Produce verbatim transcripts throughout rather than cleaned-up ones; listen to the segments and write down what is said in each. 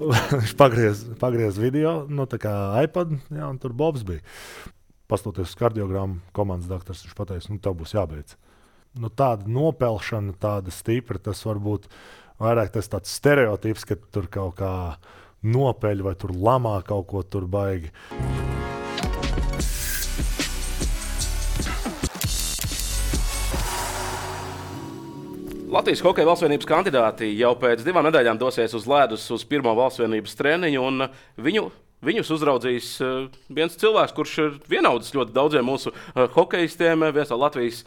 Viņš pagriez, pagriez video, nu, tā kā iPad, jā, un tur Bobs bija. Pastoties uz kardiogrammu, komandas doktors, viņš pateica, nu, tev būs jābeidz. Nu, tāda nopelšana, tāda stipra, tas varbūt vairāk tas tāds stereotips, ka tur kaut kā nopeļ vai tur lamā kaut ko tur baigi. Latvijas hokeja valstsvienības kandidāti jau pēc divām nedēļām dosies uz ledus uz pirmo valstsvienības treniņu, un viņu, viņus uzraudzīs viens cilvēks, kurš ir vienaudzis ļoti daudziem mūsu hokeistiem, viens no Latvijas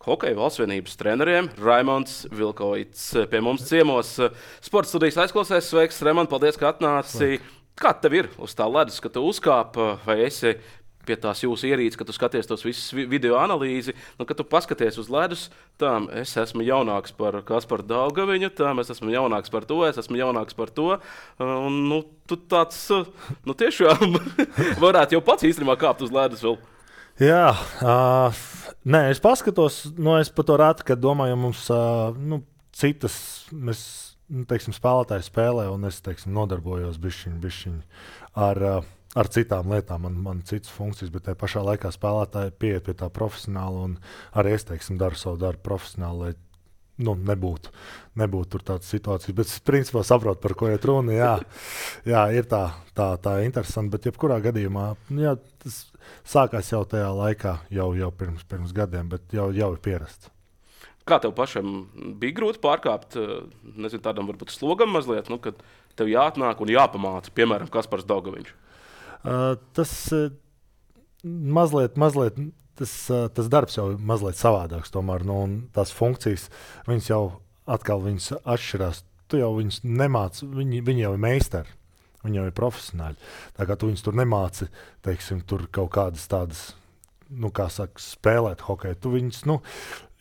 hokeja valstsvienības treneriem, Raimonds Vilkoits pie mums ciemos. Sporta studijas aizklausēs, sveiks, Raimond, paldies, ka atnāci. Kā tev ir uz tā ledus, ka tu uzkāp, vai esi pie tās jūsu ierīces, kad tu skaties tos visus video analīzi, nu, kad tu paskaties uz ledus, tām es esmu jaunāks par Kasparu Daugaviņu, tām es esmu jaunāks par to, es esmu jaunāks par to, un, nu, tu tāds, nu, tiešām varētu jau pats īstenībā kāpt uz ledus vēl. Jā, uh, nē, es paskatos, nu, es par to rātu, kad domāju, mums, uh, nu, citas, mēs, nu, teiksim, spēlētāji spēlē, un es, teiksim, nodarbojos bišķiņ, bišķiņ ar, uh, ar citām lietām, man, man citas funkcijas, bet tajā pašā laikā spēlētāji pieiet pie tā profesionāli, un arī es, teiksim, daru savu darbu profesionāli, lai, nu, nebūtu, nebūtu tur tādas situācijas, bet es principā saprotu, par ko iet runa, jā, jā, ir tā, tā, tā interesanti, bet jebkurā gadījumā, jā, tas sākās jau tajā laikā, jau, jau pirms, pirms gadiem, bet jau, jau ir pierasts. Kā tev pašam bija grūti pārkāpt, nezinu, tādam varbūt slogam mazliet, nu, kad tev jāatnāk un jāpamāca, piemēram, Kaspars Daugaviņš? Uh, tas uh, mazliet, mazliet tas, uh, tas darbs jau ir mazliet savādāks, tomēr, nu, un tās funkcijas, viņas jau atkal viņas atšķirās. Tu jau viņus nemāci, viņi, viņi jau ir meistari, viņi jau ir profesionāļi. Tā kā tu viņus tur nemāci, teiksim, tur kaut kādas tādas, nu, kā saka, spēlēt hokeju. Tu viņus, nu,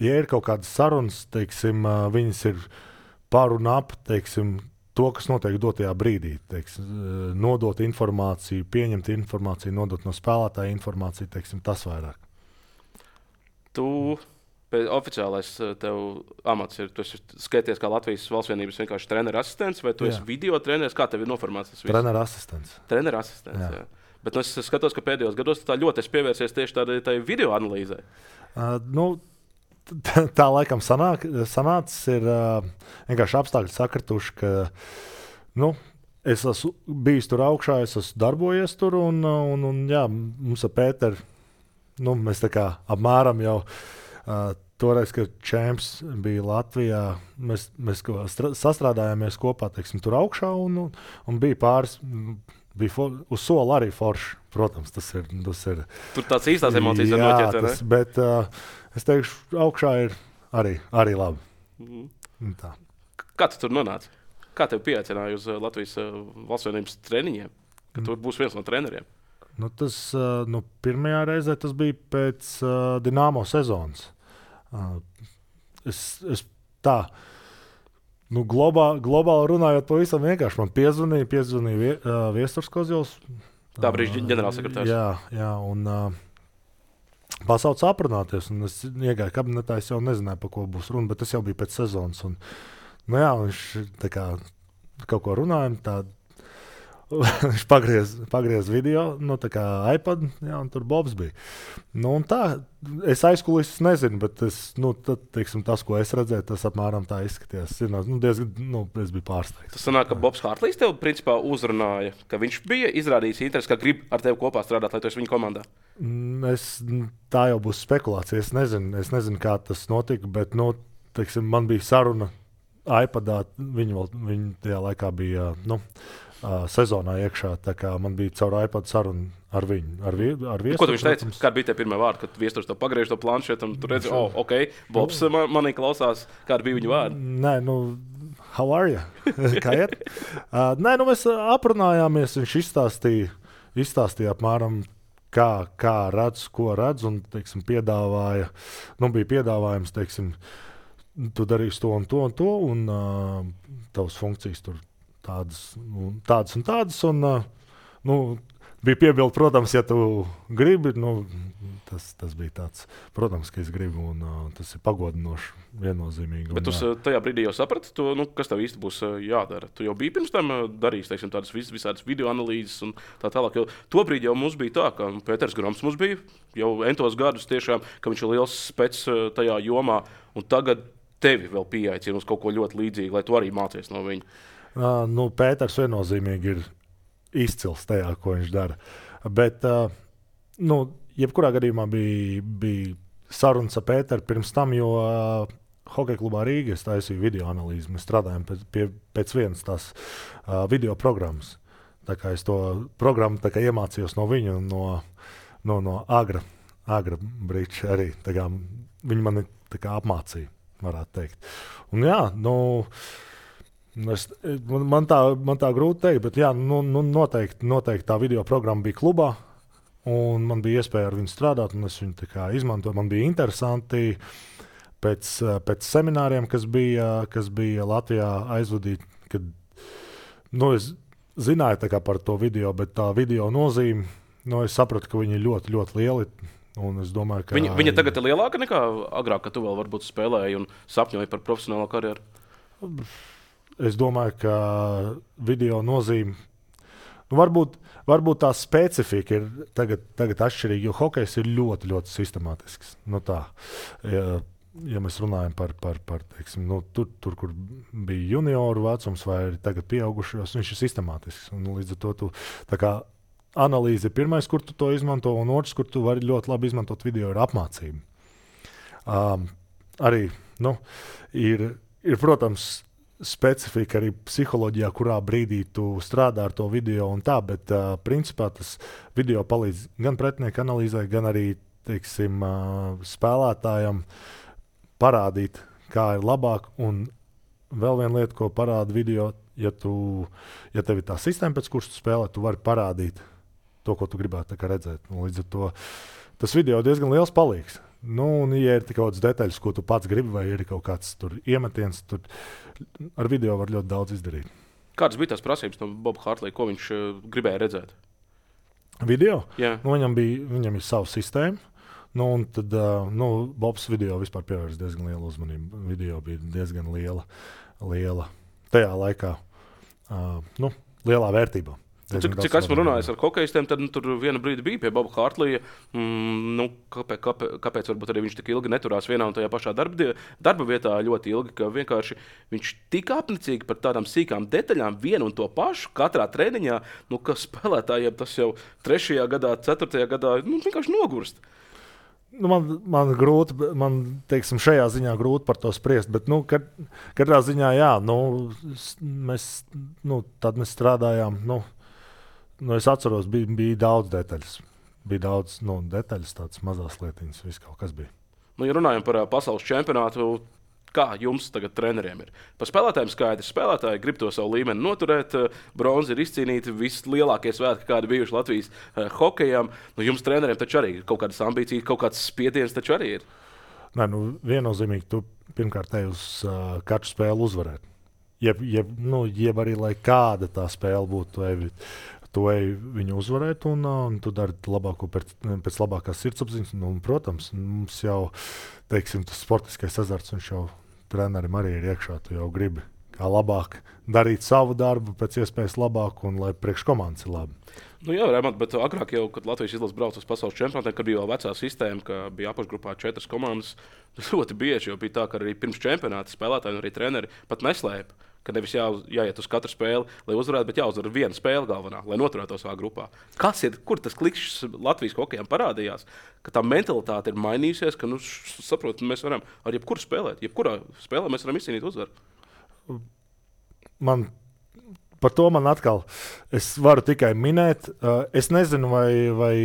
ja ir kaut kādas sarunas, teiksim, uh, viņas ir par un ap, teiksim, to, kas notiek dotajā brīdī, teiksim, nodot informāciju, pieņemt informāciju, nodot no spēlētāja informāciju, teiksim, tas vairāk. Tu, oficiālais tev amats ir, tu esi skaities kā Latvijas valstsvienības vienkārši treneru asistents, vai tu jā. esi video treneris, kā tev ir noformēts tas viss? Treneru asistents. Treneru asistents, jā. jā. Bet nu, es skatos, ka pēdējos gados tā ļoti esi pievērsies tieši tādai tai video analīzē. Uh, nu, Tā, tā laikam sanāk, sanācis ir uh, vienkārši apstākļi sakrituši, ka nu, es esmu bijis tur augšā, es esmu darbojies tur, un, un, un jā, mums ar Pēteru, nu, mēs tā kā apmēram jau uh, toreiz, kad čemps bija Latvijā, mēs, mēs sastrādājāmies kopā, teiksim, tur augšā, un, un, un bija pāris, bija for, uz sola arī forši, protams, tas ir. Tas ir tur tāds īstās emocijas var noķert, ne? Tas, bet uh, es teikšu, augšā ir arī, arī labi. Mm. Tā. Kā tu tur nonāci? Kā tev pieaicināja uz Latvijas valstsvienības treniņiem, ka tu būsi viens no treneriem? Nu, tas, uh, nu, pirmajā reizē tas bija pēc uh, Dinamo sezonas. Uh, es, es tā, nu, globā, globāli runājot pavisam vienkārši, man piezvanīja, piezvanīja vie, uh, Viesturs Kozjovs. Tā brīža ģenerālsekretārs. Jā, jā, un uh, pasauc aprunāties, un es iegāju kabinetā, es jau nezināju, par ko būs runa, bet tas jau bija pēc sezonas, un, nu jā, viņš tā kā kaut ko runājam, tā, viņš pagriez, pagriez video, nu, tā kā iPad, jā, un tur Bobs bija. Nu, un tā, es aizkulises nezinu, bet es, nu, tad, teiksim, tas, ko es redzēju, tas apmēram tā izskatījās. Nu, diezgan, nu, es biju pārsteigts. Tas sanāk, ka Bobs Hartlīs tev principā uzrunāja, ka viņš bija izrādījis interesi, ka grib ar tevi kopā strādāt, lai tu esi viņa komandā? Es, tā jau būs spekulācija, es nezinu, es nezinu, kā tas notika, bet, nu, teiksim, man bija saruna iPadā, viņi, viņi tajā laikā bija, nu, Uh, sezonā iekšā, tā kā man bija caur iPad saruna ar viņu, ar, vie, ar Viesturu. Ko tu viņš teica? Kāda bija tie pirmie vārdi, kad Viesturs tev pagriež to planšetu un tu redzi, oh, ok, Bobs man, manī klausās, kāda bija viņa vārdi? Nē, nu, how are you? Kā iet? Uh, nē, nu, mēs aprunājāmies, viņš izstāstīja, izstāstīja apmēram, kā, kā redz, ko redz, un, teiksim, piedāvāja, nu, bija piedāvājums, teiksim, tu darīsi to un to un to, un uh, tavas funkcijas tur tādas, nu, tādas un tādas, un, uh, nu, bija piebildi, protams, ja tu gribi. Nu, tas, tas bija tāds, protams, ka es gribu, un uh, tas ir pagodinoši, viennozīmīgi. Bet tu tajā brīdī jau saprati, to, nu, kas tev īsti būs jādara. Tu jau biji pirms tam darījis teiksim, tādas vis, visādas video analīzes un tā tālāk. Jo tobrīd jau mums bija tā, ka Pēters Groms mums bija jau entos gadus tiešām, ka viņš ir liels spec tajā jomā, un tagad tevi vēl pieaicina uz kaut ko ļoti līdzīgu, lai tu arī mācies no viņa. Uh, nu, Pēters viennozīmīgi ir izcils tajā, ko viņš dara. Bet, uh, nu, jebkurā gadījumā bija, bija sarunas ar Pēteru pirms tam, jo uh, Hokeja klubā Rīgā es taisīju video analīzi. Mēs strādājam pēc, pie, pēc vienas tās uh, video programmas. Tā kā es to programmu tā kā iemācījos no viņa un no, no, no Agra, Agra Briča arī. Tā kā viņi mani tā kā apmācīja, varētu teikt. Un jā, nu, es, man, man, tā, man tā grūti teikt, bet jā, nu, nu, noteikti, noteikti tā video programma bija klubā. Un man bija iespēja ar viņu strādāt, un es viņu tā kā izmantoju. Man bija interesanti pēc, pēc semināriem, kas bija, kas bija Latvijā aizvadīti, kad nu, es zināju tā kā par to video, bet tā video nozīme, nu, es sapratu, ka viņi ir ļoti, ļoti lieli. Un es domāju, ka viņa, viņa tagad ir lielāka nekā agrāk, kad tu vēl varbūt spēlēji un sapņoji par profesionālo karjeru? Es domāju, ka video nozīme, nu, varbūt, varbūt tā specifika ir tagad, tagad atšķirīga, jo hokejs ir ļoti, ļoti sistemātisks. Nu, tā, ja, ja mēs runājam par, par, par teiksim, nu, tur, tur, kur bija junioru vecums vai tagad pieaugušos, viņš ir sistemātisks. Un, līdz ar to tu, tā kā analīze ir pirmais, kur tu to izmanto, un otrs, kur tu vari ļoti labi izmantot video, ir apmācība. Um, arī, nu, ir, ir, protams, specifika arī psiholoģijā, kurā brīdī tu strādā ar to video un tā, bet uh, principā tas video palīdz gan pretinieku analīzē, gan arī, teiksim, uh, spēlētājam parādīt, kā ir labāk. Un vēl viena lieta, ko parāda video, ja, tu, ja tev ir tā sistēma, pēc kuras tu spēlē, tu vari parādīt to, ko tu gribētu tā kā redzēt. Un līdz ar to tas video diezgan liels palīgs. Nu, un, ja ir kaut kādas detaļas, ko tu pats gribi, vai ir kaut kāds tur iemetiens, tur ar video var ļoti daudz izdarīt. Kādas bija tās prasības no Boba Hartlija, ko viņš uh, gribēja redzēt? Video? Jā. Nu, viņam, bija, viņam ir sava sistēma. Nu, un tad uh, nu, Bobs video vispār pievērst diezgan lielu uzmanību. Video bija diezgan liela, liela tajā laikā, uh, nu, lielā vērtībā. Cik, cik esmu runājis ar hokejistiem, tad nu, tur viena brīdi bija pie Boba Hartlija. Mm, nu, kāpēc, kāpēc, kāpēc varbūt arī viņš tik ilgi neturās vienā un tajā pašā darba, darba vietā ļoti ilgi, ka vienkārši viņš tik apnicīgi par tādām sīkām detaļām vienu un to pašu katrā treniņā, nu, ka spēlētājiem tas jau trešajā gadā, ceturtajā gadā nu, vienkārši nogurst. Nu, man, man grūti, man teiksim, šajā ziņā grūti par to spriest, bet nu, kad, katrā ziņā jā, nu, mēs, nu, tad mēs strādājām. Nu, Nu, es atceros, bija, bija daudz detaļas. Bija daudz nu, detaļas, tādas mazas lietiņas, viss kaut kas bija. Nu, ja runājam par uh, pasaules čempionātu, kā jums tagad treneriem ir? Par spēlētājiem skaidrs. Spēlētāji grib to savu līmeni noturēt, uh, bronzi ir izcīnīti, vislielākie svētki, kādi bijuši Latvijas uh, hokejām. Nu, jums treneriem taču arī ir kaut kādas ambīcijas, kaut kāds spiediens taču arī ir. Nē, nu, viennozīmīgi tu pirmkārt ej uz uh, katru spēli uzvarēt. Jeb, jeb, nu, jeb arī, lai kāda tā spēle būtu, evi, tu ej viņu uzvarēt, un, un tu dari labāko pēc, pēc labākās sirdsapziņas. Nu, protams, mums jau, teiksim, tas sportiskais azarts, viņš jau trenerim arī ir iekšā. Tu jau gribi kā labāk darīt savu darbu, pēc iespējas labāk, un lai priekš komandas ir labi. Nu jā, Remont, bet agrāk jau, kad Latvijas izlase brauca uz pasaules čempionātiem, kad bija jau vecā sistēma, ka bija apakšgrupā četras komandas, ļoti bieži jau bija tā, ka arī pirms čempionāta spēlētāji un arī treneri pat neslēpa. Ka nevis jā, jāiet uz katru spēli, lai uzvarētu, bet jāuzvar viena spēle galvenā, lai noturētos savā grupā. Kas ir, kur tas klikšķis Latvijas hokejam parādījās? Ka tā mentalitāte ir mainījusies, ka, nu, saprot, mēs varam ar jebkuru spēlēt. Jebkurā spēlē mēs varam izcīnīt uzvaru. Man, par to man atkal, es varu tikai minēt, es nezinu, vai, vai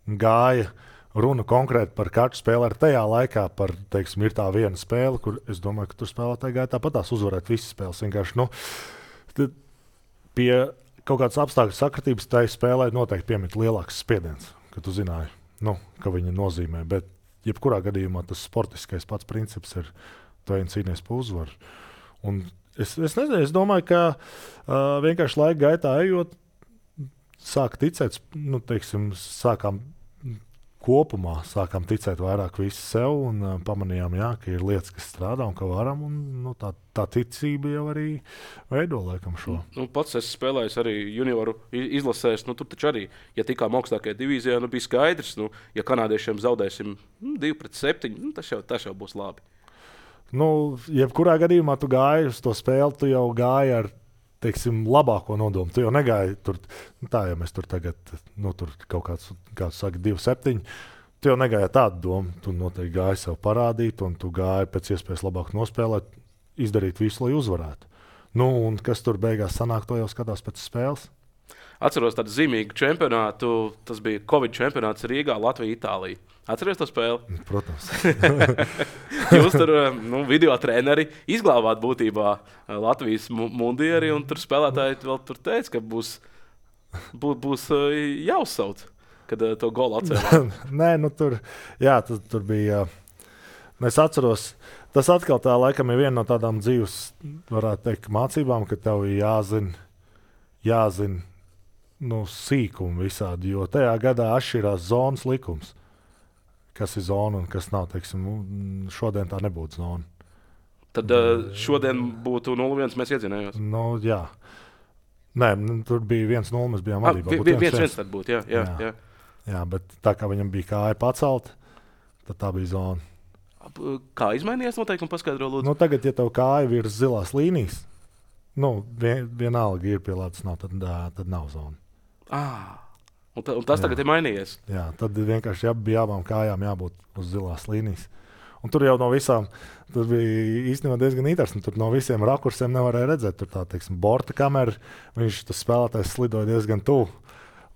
gāja runa konkrēti par katru spēli. Ar tajā laikā par, teiksim, ir tā viena spēle, kur es domāju, ka tur spēlētāji gāja tāpatās uzvarēt visas spēles. Vienkārši, nu, pie kaut kādas apstākļu sakritības tai spēlē noteikti piemīt lielāks spiediens, ka tu zināji, nu, ka viņa nozīmē. Bet jebkurā gadījumā tas sportiskais pats princips ir, tu ej un cīnies par uzvaru. Un es, es nezinu, es domāju, ka uh, vienkārši laika gaitā ejot, sāka ticēt, nu, teiksim, sākām kopumā sākām ticēt vairāk visi sev un uh, pamanījām, jā, ka ir lietas, kas strādā un ka varam. Un, nu, tā, tā ticība jau arī veido laikam šo. Nu, pats esmu spēlējis arī junioru izlasēs. Nu, tur taču arī, ja tikām augstākajā divīzijā, nu, bija skaidrs, nu, ja kanādiešiem zaudēsim nu, divi pret septiņi, nu, tas, jau, tas jau būs labi. Nu, jebkurā gadījumā tu gāji uz to spēli, tu jau gāji ar teiksim, labāko nodomu. Tu jau negāji tur, nu tā, ja mēs tur tagad, nu, tur kaut kāds, kāds saka, divi septiņi, tu jau negāji tādu domu. Tu noteikti gāji sev parādīt, un tu gāji pēc iespējas labāk nospēlēt, izdarīt visu, lai uzvarētu. Nu, un kas tur beigās sanāk, to jau skatās pēc spēles. Atceros tādu zīmīgu čempionātu, tas bija Covid čempionāts Rīgā, Latvija, Itālija. Atceries to spēli? Protams. Jūs tur nu, video treneri izglābāt būtībā Latvijas mundieri, un tur spēlētāji vēl tur teica, ka būs, būs, būs jāuzsauc, kad to golu atcēlā. Nē, nu tur, jā, tur, tur bija, es atceros, tas atkal tā laikam ir viena no tādām dzīves, varētu teikt, mācībām, ka tev ir jāzina, jāzina nu, sīkumi visādi, jo tajā gadā atšķirās zonas likums. Kas ir zona un kas nav. Teiksim, šodien tā nebūtu zona. Tad šodien būtu nulle viens, mēs iedzinājos. Nu, jā. Nē, tur bija viens nulle, mēs bijām vadībā. Ah, viens viens tad būtu, jā, jā, jā. jā. jā, bet tā kā viņam bija kāja pacelt, tad tā bija zona. Kā izmainījās noteikumi, paskaidro lūdzu? Nu, tagad, ja tev kāja virs zilās līnijas, nu, vien, vienalga ir pielādes nav, tad, tad nav zona. Ah. Un, ta, un tas jā. Tagad ir mainījies. Jā, tad vienkārši jā, bija abām kājām jābūt uz zilās līnijas. Un tur jau no visām, tas bija īstenībā diezgan interesanti. Tur no visiem rakursiem nevarēja redzēt. Tur tā, teiksim, borta kamera, viņš tas spēlētājs slidoja diezgan tuvu.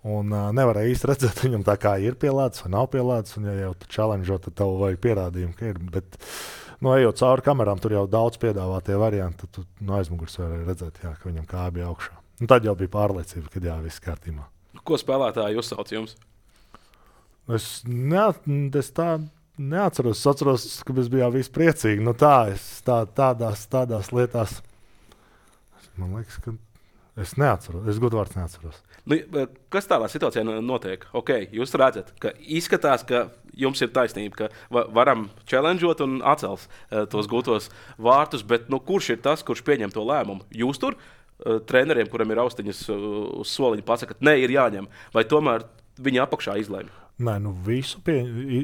Un uh, nevarēja īsti redzēt, viņam tā kā ir pielādes vai nav pielādes. Un ja jau tu challenge'o, tad tev vajag pierādījumu, ka ir. Bet, nu, ejot cauri kamerām, tur jau daudz piedāvātie varianti. Tad tu no aizmugures varēja redzēt, jā, ka viņam kāja bija augšā. Un tad jau bija pārliecība, ka jā, viss kārtībā. Ko spēlētāji uzsauc jums? Es, ne, es tā neatceros. Es atceros, ka mēs bijām visi priecīgi. Nu tā, es tā, tādās, tādās lietās, man liekas, ka es neatceros. Es godvārds neatceros. Nu, kas tādā situācijā notiek? Okay, jūs redzat, ka izskatās, ka jums ir taisnība, ka varam challengeot un atcels uh, tos gūtos vārtus, bet nu, kurš ir tas, kurš pieņem to lēmumu? Jūs tur? Treneriem, kuriem ir austiņas uz soliņa, pasaka, ka nē, ir jāņem, vai tomēr viņi apakšā izlēma? Nē, nu visu, pie,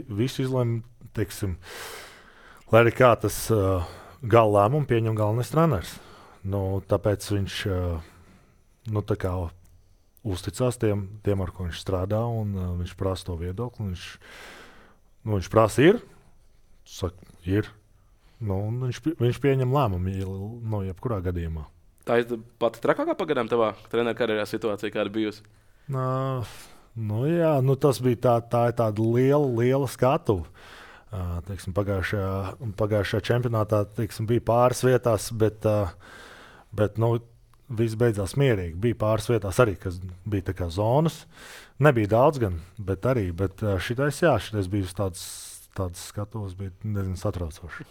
visu izlēma, teiksim, lai arī kā tas uh, gala lēmumu pieņem galvenais treneris. Nu, tāpēc viņš uh, nu, tā kā uzticās tiem, tiem, ar ko viņš strādā, un uh, viņš prasa to viedokli. Viņš, nu, viņš prasa ir, saka, ir, nu, un viņš, viņš pieņem lēmumu, no jebkurā gadījumā. Tā ir pati trakākā pagadām tavā treneru karjerā situācija, kāda bijusi? Nā, nu jā, nu tas bija tā, tā ir tāda liela, liela skatuve. Uh, teiksim, pagājušajā, pagājušajā čempionātā teiksim, bija pāris vietās, bet, uh, bet nu, viss beidzās mierīgi. Bija pāris vietās arī, kas bija tā kā zonas. Nebija daudz gan, bet arī. Bet uh, šitais, jā, šitais bija tāds, tāds skatuves, bija diezgan satraucoši.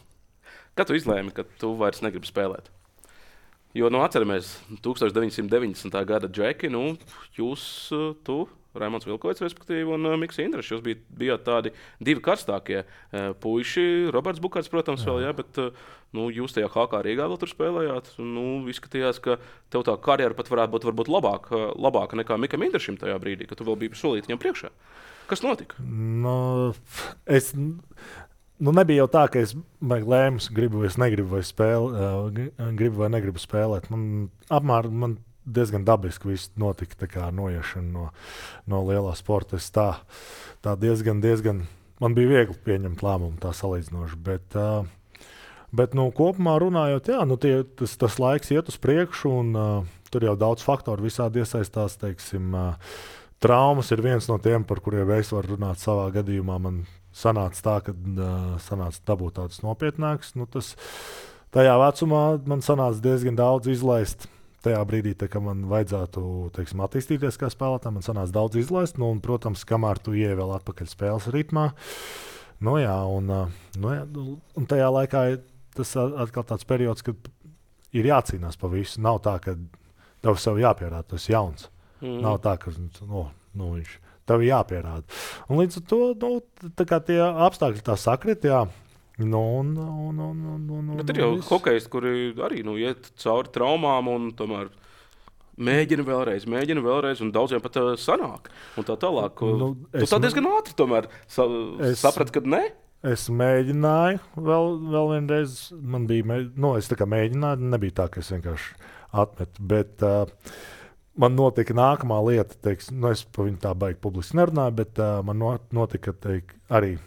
Kad tu izlēmi, ka tu vairs negribi spēlēt? Jo, nu, atceramies, deviņdesmit deviņdesmitā gada džeki, nu, jūs, tu, Raimonds Vilkovics, respektīvi, un uh, Miks Indrašs, jūs bijat, bijat tādi divi karstākie uh, puiši, Roberts Bukārts, protams, jā. vēl, jā, bet uh, nu, jūs tajā H K Rīgā vēl tur spēlējāt, un, nu, izskatījās, ka tev tā karjera pat varētu būt varbūt labāka, labāka nekā Mikam Indrašim tajā brīdī, ka tu vēl biji solīt viņam priekšā. Kas notika? No, es... Nu, nebija jau tā, ka es lēmu, gribu vai negribu, vai, spēle, uh, gribu vai negribu spēlēt. Man, apmēr, man diezgan dabiski viss notika, tā kā noiešana no, no lielā sporta. Es tā, tā diezgan, diezgan, man bija viegli pieņemt lēmumu tā salīdzinoši. Bet, uh, bet nu, kopumā runājot, jā, nu, tie, tas, tas laiks iet uz priekšu, un uh, tur jau daudz faktoru visādi iesaistās. Teiksim, uh, traumas ir viens no tiem, par kuriem es varu runāt savā gadījumā. Man sanāca tā, ka uh, sanāca dabūt tādas nopietnākas. Nu, tas, tajā vecumā man sanāca diezgan daudz izlaist. Tajā brīdī, tā, kad man vajadzētu teiksim, attīstīties kā spēlētājam, man sanāca daudz izlaist. Nu, un, protams, kamēr tu ieej vēl atpakaļ spēles ritmā, nu, jā, un, nu, jā, un tajā laikā tas atkal tāds periods, kad ir jācīnās pa visu. Nav tā, ka tev sev jāpierāda, tu esi jauns. Mm. Nav tā, ka no, nu, viņš tev jāpierāda. Un līdz ar to nu, tā kā tie apstākļi tā sakrit, jā. Nu, un, un, un, un, un, Bet ir jau viss. hokejisti, kuri arī nu, iet cauri traumām un tomēr mēģina vēlreiz, mēģina vēlreiz, un daudziem pat uh, sanāk. Un tā tālāk. Nu, tu tā diezgan ātri tomēr sa es, saprati, ka ne? Es mēģināju vēl, vēl vienreiz. Man bija, nu, es tā kā mēģināju, nebija tā, ka es vienkārši atmetu. Bet uh, man notika nākamā lieta, teiks, nu, es par viņu tā baigi publiski nerunāju, bet uh, man notika teik, arī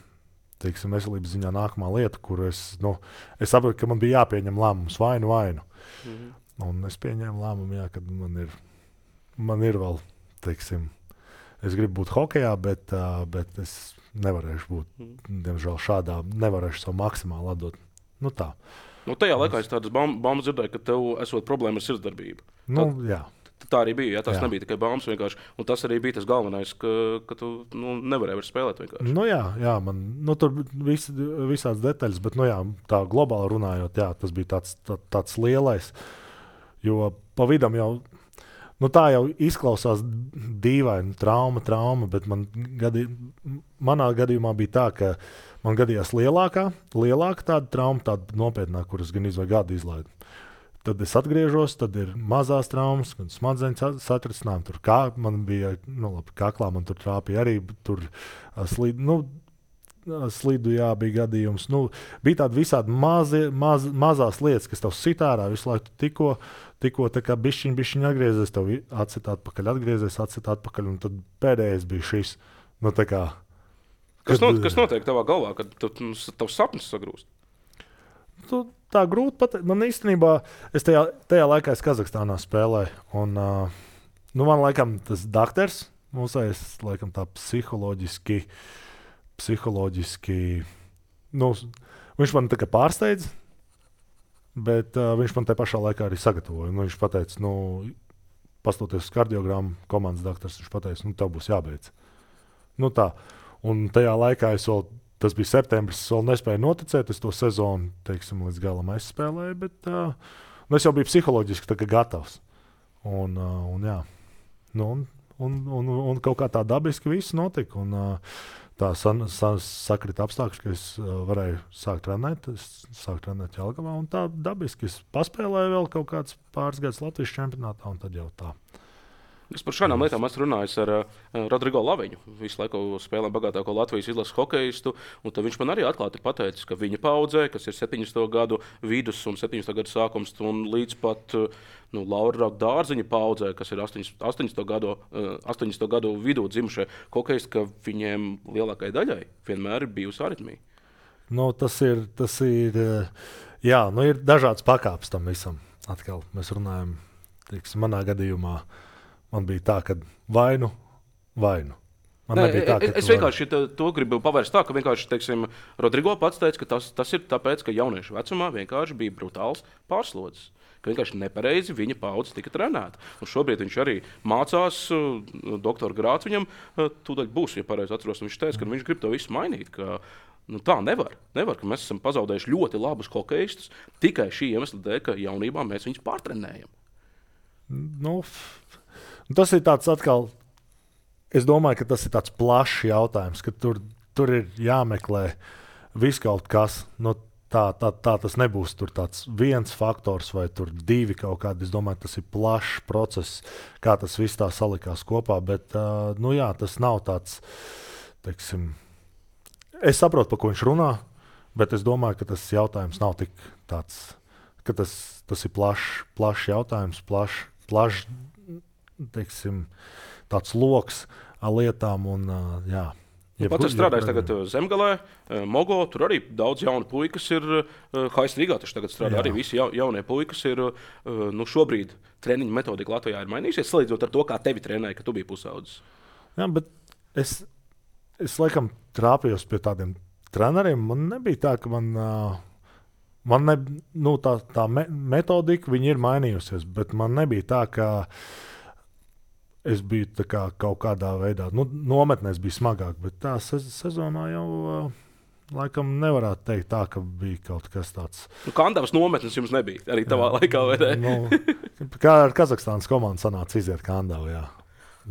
teiksim, veselības ziņā nākamā lieta, kur es, nu, es saprotu, ka man bija jāpieņem lēmums vainu, vainu. Mm-hmm. Un es pieņēmu lēmumu, jā, kad man ir, man ir vēl, teiksim, es gribu būt hokejā, bet, uh, bet es nevarēšu būt, mm. diemžēl, šādā, nevarēšu savu maksimāli atdot. Nu tā. Nu, tajā laikā es tādas baumas dzirdēju, ka tev esot problēma ar sirdsdarbību. Nu, Tad... jā. Tā arī bija. Jā, tas jā. nebija tikai baumas vienkārši. Un tas arī bija tas galvenais, ka, ka tu nu, nevarēji vairs spēlēt vienkārši. Nu, jā, jā man, nu, tur vis, visāds detaļas, bet nu, jā, tā globāli runājot, jā, tas bija tāds, tā, tāds lielais. Jo pa vidam jau, nu, tā jau izklausās dīvaini, trauma, trauma, bet man gadī, manā gadījumā bija tā, ka man gadījās lielākā, lielāka tāda trauma, tāda nopietnā, kuras gan izvai gadu izlaidu. Tad es atgriežos, tad ir mazās traumas, kad smadzeņu satricinājumi. Tur kā man bija, nu, labi, kaklā man tur trāpīja arī, tur slīd, nu, slidu, jā, bija gadījums. Nu, bija tādi visādi mazi, maz, mazās lietas, kas tev sit ārā visu laiku tikko, tikko tā kā bišķiņ, bišķiņ atgriezies, tev atsit atpakaļ, atgriezies, atsit atpakaļ, un tad pēdējais bija šis, nu, tā kā. Kas, kad, not, kas notiek tavā galvā, kad tavs sapnis sagrūst? Tu, tā grūti pateikt. Man īstenībā, es tajā, tajā laikā es Kazahstānā spēlēju, un, uh, nu, man laikam tas dakters, mūsais, laikam tā psiholoģiski, psiholoģiski, nu, viņš man tā kā pārsteidz, bet uh, viņš man tajā pašā laikā arī sagatavoja. Nu, viņš pateica, nu, pastoties uz kardiogrammu, komandas daktars, viņš pateica, nu, tev būs jābeidz. Nu, tā. Un tajā laikā es vēl, tas bija septembris, es vēl nespēju noticēt, es to sezonu, teiksim, līdz galam aizspēlēju, bet uh, nu, es jau biju psiholoģiski tā kā gatavs. Un, uh, un jā, nu, un, un, un, un kaut kā tā dabiski viss notika, un uh, tā san, san, sakrita apstākļi, ka es uh, varēju sākt trenēt, es sāku trenēt Jelgavā, un tā dabiski es paspēlēju vēl kaut kāds pāris gadus Latvijas čempionātā, un tad jau tā. Es par šādām lietām esmu runājis ar uh, Rodrigo Laviņu. Visu laiku spēlēm bagātāko Latvijas izlases hokejistu. Viņš man arī atklāti pateicis, ka viņa paudzē, kas ir septiņdesmito gadu vidus un septiņdesmito gadu sākums, un līdz pat uh, nu, Laura Dārziņa paudzē, kas ir astoņdesmito gadu, uh, astoņdesmito gadu vidū dzimušie hokejisti, ka viņiem lielākajai daļai vienmēr ir bijusi aritmija. Nu, tas ir, tas ir, jā, nu, ir dažāds pakāpes tam visam. Atkal mēs runājam, teiksim, manā gadījumā. Man bija tā, ka vainu, vainu. Man Nē, tā, ka es vienkārši to, to gribu pavērst tā, ka vienkārši, teiksim, Rodrigo pats teica, ka tas, tas ir tāpēc, ka jauniešu vecumā vienkārši bija brutāls pārslodzes. Ka vienkārši nepareizi viņa paudze tika trenēta. Un šobrīd viņš arī mācās, doktora grāts viņam tūdaļ būs, ja pareizi atceros. Viņš teica, ka viņš grib to visu mainīt. Ka, nu, tā nevar. Nevar, ka mēs esam pazaudējuši ļoti labus hokejistus tikai šī iemesla dēļ, ka jaunībā mēs viņus pārtrenējam. Nu, tas ir tāds atkal, es domāju, ka tas ir tāds plašs jautājums, ka tur, tur ir jāmeklē viss kaut kas. Nu, tā, tā, tā tas nebūs tur tāds viens faktors vai tur divi kaut kādi. Es domāju, tas ir plašs process, kā tas viss tā salikās kopā. Bet, uh, nu jā, tas nav tāds, teiksim, es saprotu, par ko viņš runā, bet es domāju, ka tas jautājums nav tik tāds, ka tas, tas ir plašs, plašs jautājums, plašs, plašs, teiksim, tāds loks ar lietām. Un, uh, jā, jeb, pats ir strādājis tagad Zemgalē, Mogo, tur arī daudz jaunu puikas ir, Haisrīgā taču tagad strādā jā. Arī visi ja, jaunie puikas ir, nu šobrīd treniņu metodika Latvijā ir mainījusies, salīdzinot ar to, kā tevi trenēja, ka tu biji pusaudzis. Jā, bet es, es laikam trāpījos pie tādiem treneriem, man nebija tā, ka man... Uh, Man ne, nu, tā, tā me, metodika viņa ir mainījusies, bet man nebija tā, ka es biju tā kā kaut kādā veidā, nu, nometnēs bija smagāk, bet tā sez, sezonā jau uh, laikam nevarētu teikt tā, ka bija kaut kas tāds. Nu, Kandavas nometnes jums nebija arī tavā jā, laikā, vai ne? Nu, kā ar Kazahstānas komandu sanāca iziet Kandavu, jā.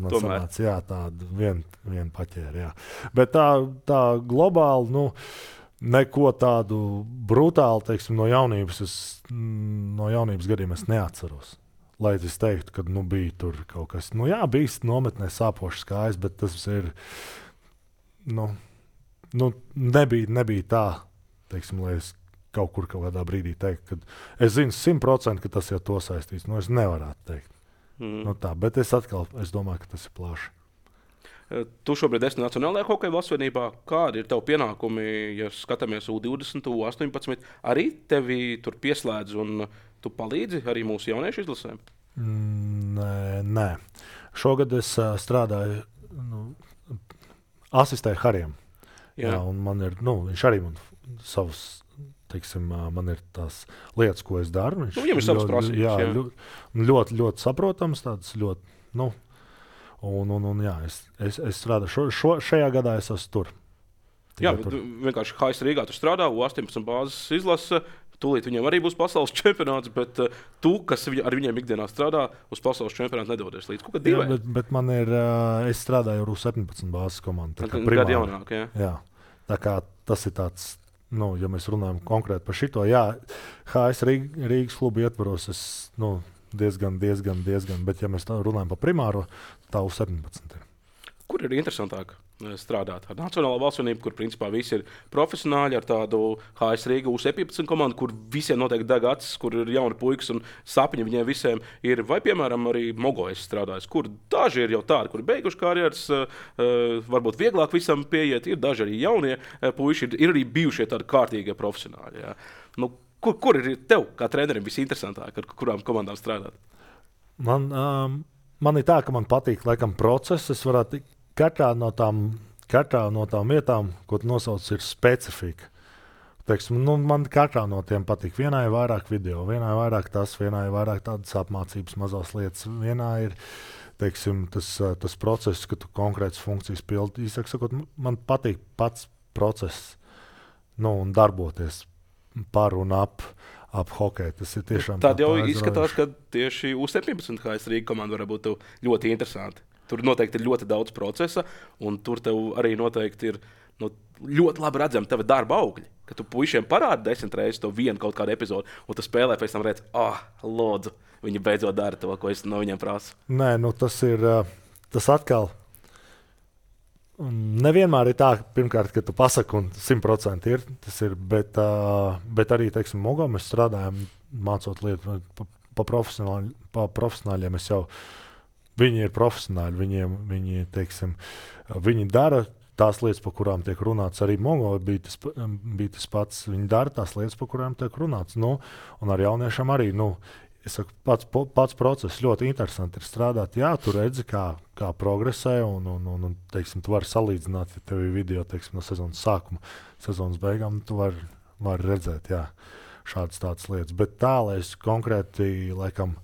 man sanāca, jā, tādu vienu vien paķēri, jā. Bet tā, tā globāli, nu, neko tādu brutālu, teiksim, no jaunības, es, no jaunības gadiem es neatceros. Lai es teiktu, ka, nu, bija tur kaut kas, nu, jā, bija nometnē sāpošas kājas, bet tas ir, nu, nu nebija, nebija tā, teiksim, lai es kaut kur kaut kādā brīdī teikt, ka es zinu simt procenti, ka tas jau to saistīts. Nu, es nevarētu teikt. Mm. Nu, tā, bet es atkal es domāju, ka tas ir plaši. Tu šobrīd esi Nacionālajā hokeja valstsvienībā. Kādi ir tavi pienākumi, ja skatāmies U divdesmit, U astoņpadsmit? Arī tevi tur pieslēdz un tu palīdzi arī mūsu jauniešu izlasēm? Mm, nē, nē. Šogad es uh, strādāju, nu, asistēju Harijam. Jā. Jā, un man ir, nu, viņš arī man savus, teiksim, man ir tās lietas, ko es daru. Viņš nu, viņam ir savas prasības. Jā, jā. Ļoti, ļoti, ļoti saprotams, tāds ļoti, nu, un, un, un jā, es, es, es strādāju, šo, šo, šajā gadā es esmu tur. Tikai jā, tur. Vienkārši H S Rīgā tu strādā, U astoņpadsmit bāzes izlase, tūlīt viņiem arī būs pasaules čempionāts, bet uh, tu, kas vi, ar viņiem ikdienā strādā, uz pasaules čempionātu nedodies līdz. Kaut kā jā, bet, bet man ir, uh, es strādāju ar U septiņpadsmit bāzes komandu. Gadu jaunāk, jā. Jā, tā kā tas ir tāds, nu, ja mēs runājam konkrēti par šito, jā, H S Rīgas klubu ietvaros es, nu, diezgan, diezgan, diezgan, bet ja mēs tā runājam par primāro, tā U septiņpadsmit ir. Kur ir interesantāk strādāt ar Nacionālo valstsvienību, kur principā visi ir profesionāļi, ar tādu H S Rīga U septiņpadsmit komandu, kur visiem noteikti deg acis, kur ir jauni puikas un sapņi viņiem visiem ir, vai, piemēram, arī Mogojas strādājas, kur daži ir jau tādi, kuri beiguši karjeras, varbūt vieglāk visam pieiet, ir daži arī jaunie puiši, ir, ir arī bijušie tādi kārtīgie profesionāļi. Jā. Nu, kur, kur ir tev, kā trenerim, visinteresantāk, ar kurām komandām strādāt? Man, um, man ir tā, ka man patīk, laikam, process, es varētu Katrā no tām, katrā no tām vietām, ko tu nosauc, ir specifika. Teiksim, nu, man katrā no tiem patīk. Vienā ir vairāk video, vienā ir vairāk tas, vienā ir vairāk tādas apmācības mazās lietas. Vienā ir, teiksim, tas, tas process, ka tu konkrētas funkcijas pildi. Īsāk sakot, man patīk pats process, nu, un darboties par un ap, ap hokeju. Tas ir tiešām tā. Tad jau izskatās, ka tieši U septiņpadsmit H S Rīga komanda varētu būt ļoti interesanti. Tur noteikti ir ļoti daudz procesa, un tur tev arī noteikti ir nu, ļoti labi redzami tava darba augļi. Kad tu puišiem parādi desmit reizes to vienu kaut kādu epizodi, un tu spēlē pēc tam redz, ah, oh, lūdzu, viņi beidzot dara to, ko es no viņiem prasu. Nē, nu tas ir, tas atkal, nevienmēr ir tā, pirmkārt, ka tu pasaki, un simt procenti ir, tas ir, bet, bet arī, teiksim, Mogā mēs strādājam, mācot lietu pa, pa, profesionāļ, pa profesionāļiem, es jau viņi ir profesionāļi, viņiem, viņi, teiksim, viņi dara tās lietas, par kurām tiek runāts. Arī Mongo bija tas, bija tas pats. Viņi dara tās lietas, par kurām tiek runāts. Nu, un ar jauniešiem arī. Nu, es saku, pats, pats process ļoti interesanti ir strādāt. Jā, tu redzi, kā, kā progresē, un, un, un, un teiksim, tu vari salīdzināt, ja tev ir video, teiksim, no sezonas sākuma, sezonas beigām, tu vari, vari redzēt, jā, šādas tādas lietas. Bet tā, lai es konkrēti, laikam,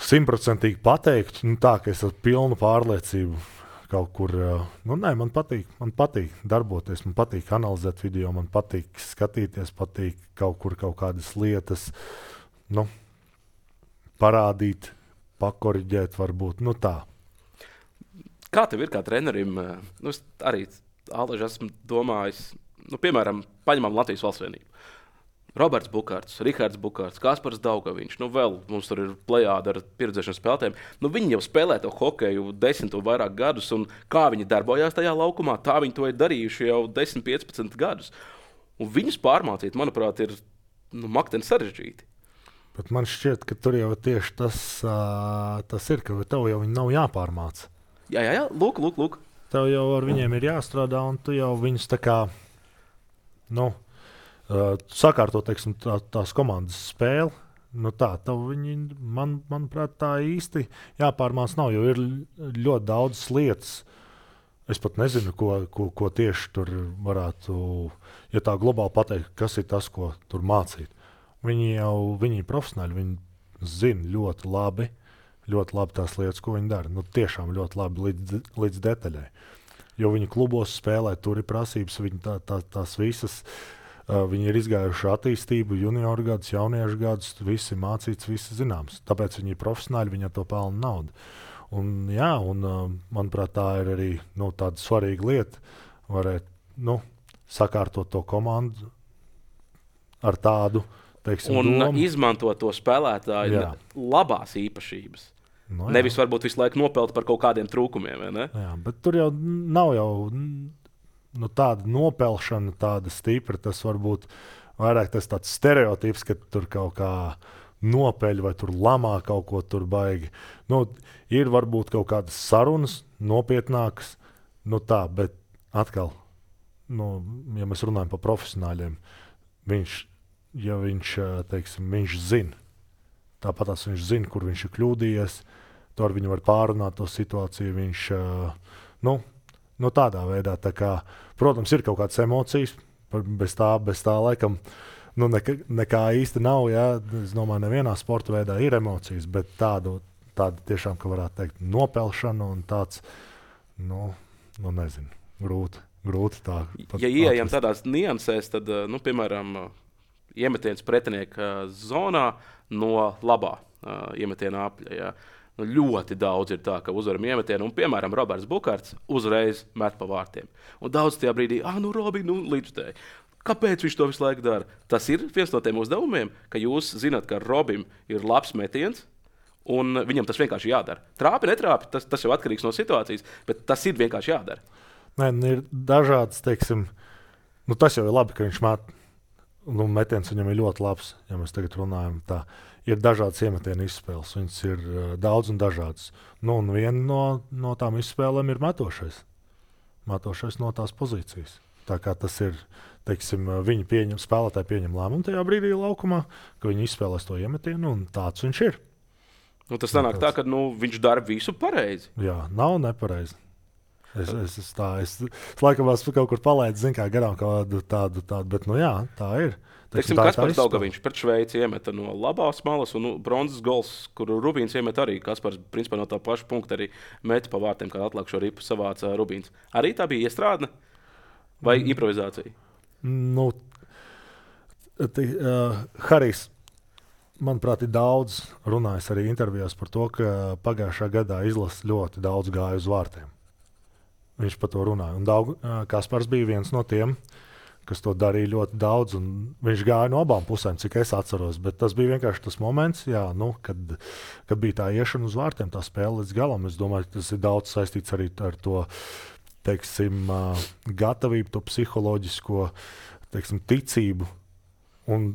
simtprocentīgi pateiktu, nu tā, ka es ar pilnu pārliecību kaut kur, nu nē, man patīk, man patīk darboties, man patīk analizēt video, man patīk skatīties, patīk kaut kur kaut kādas lietas, nu, parādīt, pakoriģēt varbūt, nu tā. Kā tev ir kā trenerim, nu es arī Āleži esmu domājis, nu piemēram, paņemam Latvijas valstsvienību. Roberts Bukārts, Rihards Bukārts, Kaspars Daugaviņš, nu vēl mums tur ir plejāda ar pieredzēšanas spēlētājiem. Nu viņi jau spēlē to hokeju desmit un vairāk gadus, un kā viņi darbojās tajā laukumā, tā viņi to ir darījuši jau desmit, piecpadsmit gadus. Un viņus pārmācīt, manuprāt, ir nu, makteni sarežģīti. Bet man šķiet, ka tur jau tieši tas, uh, tas ir, ka tev jau viņi nav jāpārmāca. Jā, jā, jā, lūk, lūk, lūk. Tev jau ar viņiem ir jāstrādā, un tu jau viņus tā kā, nu, Uh, sakārto, teiksim, tā, tās komandas spēli. Nu tā, viņi, man, manuprāt, tā īsti jāpārmāc nav, jo ir ļoti daudz lietas. Es pat nezinu, ko, ko, ko tieši tur varētu, ja tā globāli pateikt, kas ir tas, ko tur mācīt. Viņi jau, viņi ir profesionāļi, viņi zina ļoti labi, ļoti labi tās lietas, ko viņi dara. Nu tiešām ļoti labi līdz, līdz detaļai. Jo viņi klubos spēlē, tur ir prasības, viņi tā, tā, tās visas. Uh, viņi ir izgājuši attīstību, junioru gadus, jauniešu gadus, visi mācīts, visi zināms. Tāpēc viņi ir profesionāļi, viņi ar to pelna naudu. un, jā, un manuprāt, tā ir arī nu, tāda svarīga lieta. Varēt nu, sakārtot to komandu ar tādu teiksim, un domu. Izmantot to spēlētāju jā. labās īpašības. No, Nevis varbūt visu laiku nopelt par kaut kādiem trūkumiem. Jā, bet tur jau nav jau nu, tāda nopelšana, tāda stipra. Tas varbūt vairāk tas tāds stereotips, ka tur kaut kā nopeļ vai tur lamā kaut ko tur baigi. Nu, ir varbūt kaut kādas sarunas, nopietnākas, nu tā, bet atkal, nu, ja mēs runājam par profesionāļiem, viņš, ja viņš, teiksim, viņš zina, tāpat viņš zina, kur viņš ir kļūdījies, to ar viņu var pārunāt to situāciju, viņš, nu, nu tādā veidā, tā kā, protams, ir kaut kādas emocijas, bez tā, bez tā laikam, nu, nekā, nekā īsti nav, jā, es domāju, nevienā sporta veidā ir emocijas, bet tādu, tādu tiešām, ka varētu teikt, nopelšanu un tāds, nu, nu nezinu, grūti, grūti tā. Ja ieejam tādās niansēs, tad, nu, piemēram, iemetiens pretinieka zonā no labā uh, iemetiena apļa. Jā. Nu, ļoti daudz ir tā, ka uzvaram iemetienu, un, piemēram, Roberts Bukārts uzreiz met pa vārtiem. Un daudz tajā brīdī, ah, nu, Robi, nu, līdzstēji. Kāpēc viņš to visu laiku dara? Tas ir viens no tiem uzdevumiem, ka jūs zināt, ka Robim ir labs metiens, un viņam tas vienkārši jādara. Trāpi, netrāpi, tas, tas jau atkarīgs no situācijas, bet tas ir vienkārši jādara. Nē, ir dažāds, teiksim, nu, tas jau ir labi, ka viņš met, nu, metiens viņam ir ļoti labs, ja mēs tagad runājam tā. Ir dažādas iemetienu izspēles, viņas ir uh, daudz un dažādas. Nu, un viena no, no tām izspēlēm ir metošais. Metošais no tās pozīcijas. Tā kā tas ir, teiksim, viņi pieņem, spēlētāji pieņem lēmumu tajā brīdī laukumā, ka viņi izspēlēs to iemetienu, un tāds viņš ir. Nu, tas sanāk tā, ka nu, viņš dara visu pareizi. Jā, nav nepareizi. Es, es, es, tā, es, es laikam kaut kur palaidu, zinu, kā garām kādu tādu, tādu, bet nu jā, tā ir. Teiksim, Kaspars Daugaviņš pret Šveici iemeta no labās malas, un nu, bronzas gols, kur Rubīns iemet arī. Kaspars principā no tā paša punkta arī meta pa vārtiem, kā atlikušo ripu savāca Rubīns. Arī tā bija iestrādne vai mm. improvizācija? Nu, t, uh, Harijs, manuprāt, ir daudz runājis arī intervijās par to, ka pagājušā gadā izlases ļoti daudz gāja uz vārtiem. Viņš par to runāja. Un Daug, uh, Kaspars bija viens no tiem, kas to darīja ļoti daudz, un viņš gāja no abām pusēm, cik es atceros. Bet tas bija vienkārši tas moments, jā, nu, kad, kad bija tā iešana uz vārtiem, tā spēle līdz galam. Es domāju, ka tas ir daudz saistīts arī ar to, teiksim, gatavību, to psiholoģisko, teiksim, ticību. Un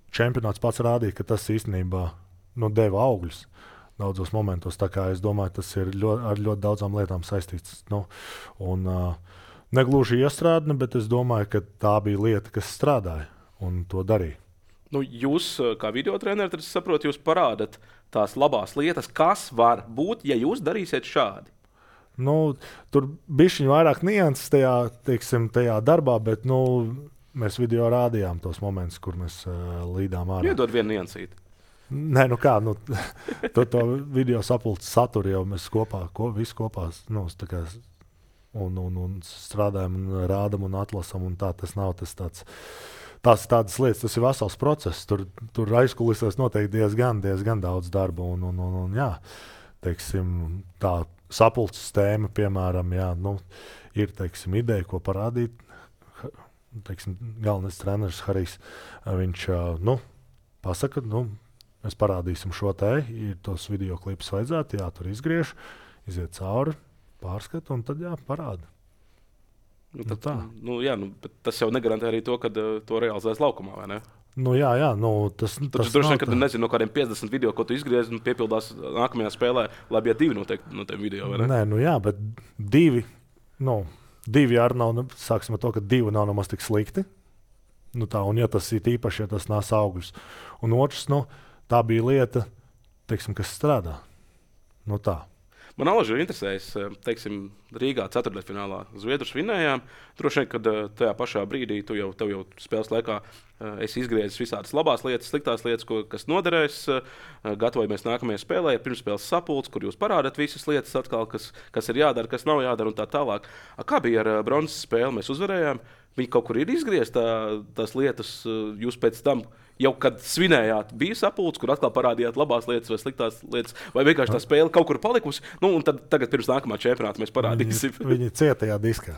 čempionāts pats rādīja, ka tas īstenībā nu, deva augļus daudzos momentos. Tā kā es domāju, tas ir ļoti, ar ļoti daudzām lietām saistīts. Nu, un, uh, Negluži iestrādne, bet es domāju, ka tā bija lieta, kas strādāja un to darīja. Nu, jūs, kā video treneri, tad es saprotu, jūs parādat tās labās lietas, kas var būt, ja jūs darīsiet šādi. Nu, tur bišķiņ vairāk nianses tajā, teiksim, tajā darbā, bet nu, mēs video rādījām tos momentus, kur mēs uh, līdām ārā. Iedod vienu niansīti. Nē, nu kā, nu, to, to video sapulces saturu jau mēs kopā, ko, visi kopā, nu, tā kā Un, un, un strādājam, un rādām, un atlasām. Un tā, tas nav tas tāds, tās tādas lietas, tas ir vesels process. Tur, tur aizkulisēs noteikti diezgan, diezgan daudz darba. Un, un, un, un, jā, teiksim, tā sapulces tēma, piemēram, jā, nu, ir teiksim, ideja, ko parādīt. Teiksim, galvenais treneris Harijs, viņš nu, pasaka, nu, mēs parādīsim šo te, ir tos video klipus vajadzētu, jā, tur izgriež, iziet cauri. Pārskatu, un tad jā, parāda. Nu, tad, nu, nu, jā, nu, tas jau negarantē arī to, ka uh, to realizēs laukumā, vai ne? Nu, jā, jā. Nu, tas ir. Tad droši vien, ka tu nezini no kādiem piecdesmit video, ko tu izgriezi un piepildās nākamajā spēlē, lai bija divi noteikti no tiem video, vai ne? Nē, nu jā, bet divi, nu, divi arī nav, nu, sāksim ar to, ka divi nav nemaz tik slikti. Nu tā, un ja tas ir īpaši, ja tas nes augļus. Un otrs, nu, tā bija lieta, teiksim, kas strādā. Nu tā. Man alaži ir interesējis, teiksim, Rīgā ceturtdaļfinālā Zviedrus vinējām. Droši vien, kad tajā pašā brīdī tu jau, tev jau spēles laikā esi izgriezis visādas labās lietas, sliktās lietas, ko, kas noderēs. Gatavojamies nākamajai spēlē, pirmspēles sapulces, kur jūs parādat visas lietas atkal, kas, kas ir jādara, kas nav jādara un tā tālāk. Kā bija ar bronzas spēli? Mēs uzvarējām. viņi kaut kur ir izgriezt tā, tās lietas, jūs pēc tam, jau kad svinējāt, bija sapulcs, kur atkal parādījāt labās lietas vai sliktās lietas, vai vienkārši tā spēle kaut kur palikusi, nu, un tad tagad pirms nākamā čempionāta mēs parādīsim. Viņi, viņi cietajā diskā.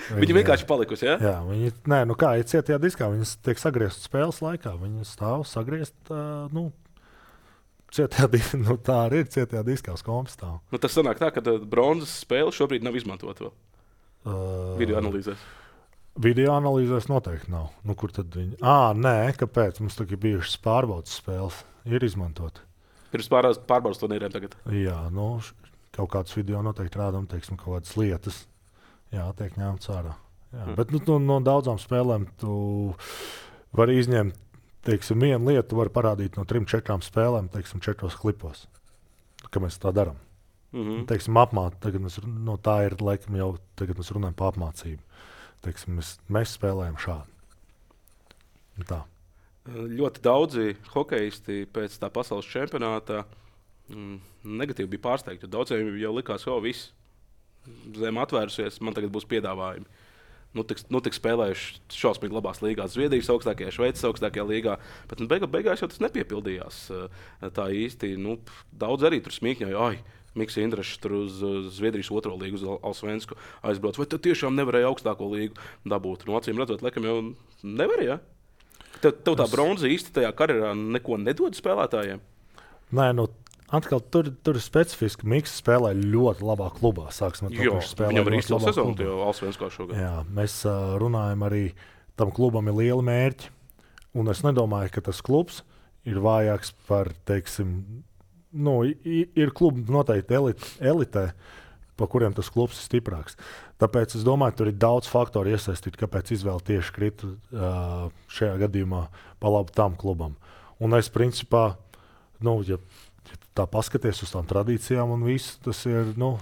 Viņi, viņi vienkārši palikusi, ja? Jā, viņi, nē, nu kā, ir cietajā diskā, viņas tiek sagrieztas spēles laikā, viņi stāv sagriezt, uh, nu, Cietajā, nu, tā arī ir cietajā diskā uz kompastāv. Nu, tas sanāk tā, ka bronzas spēle šobrīd nav izmantota vēl. Uh, video analīzēs. Video analīzēs noteikti nav. Nu, kur tad viņi? Ā, nē, kāpēc? Mums tagad bijušas pārbaudas spēles. Ir izmantoti. Pirms pārbaudas, pārbaudas turnīriem tagad? Jā, nu, kaut kāds video noteikti rādam, teiksim, kaut kādas lietas. Jā, tiek ņemts ārā. Jā, hmm. Bet nu, no, no daudzām spēlēm tu vari izņemt. Teiksim, vienu lietu var parādīt no trim, četrām spēlēm, teiksim, četros klipos, kā mēs tā darām. Mm-hmm. Teiksim, apmāt, tagad mēs, no tā ir, laikam, jau tagad mēs runājam par apmācību. Teiksim, mēs, mēs spēlējam šādi. Tā. Ļoti daudzi hokeisti pēc tā pasaules čempionāta mm, negatīvi bija pārsteigti. Daudziem jau likās, ka viss zem atvērusies, man tagad būs piedāvājumi. Nu, tik, nu, tik spēlējuši šausmīgi labās līgās, Zviedrijas augstākajā, Šveices augstākajā līgā. Bet nu, beig, beigās jau tas nepiepildījās tā īsti. Nu, daudz arī tur smīkņoja, ai, Mikls Indrašs tur uz Zviedrijas otro līgu, uz Allsvensku aizbrauc. Vai tad tiešām nevarēja augstāko līgu dabūt? Nu, acīm redzot, laikam jau nevarēja. Tev, tev tā bronza īsti tajā karjerā neko nedod spēlētājiem? Nē, nu. Atkal tur, tur ir specifiski. Mikls spēlē ļoti labā klubā. Sāksim ar to, jo, viņam ir izcila sezona, jau Allsvenskā šogad. Jā, mēs uh, runājam arī, tam klubam ir liela mērķi. Un es nedomāju, ka tas klubs ir vājāks par, teiksim, nu, ir klubi noteikti elite, elitē, pa kuriem tas klubs ir stiprāks. Tāpēc es domāju, tur ir daudz faktoru iesaistīt, kāpēc izvēle tieši krita uh, šajā gadījumā pa labu tam klubam. Un es principā, nu, ja tā paskaties uz tām tradīcijām un viss, tas ir, nu,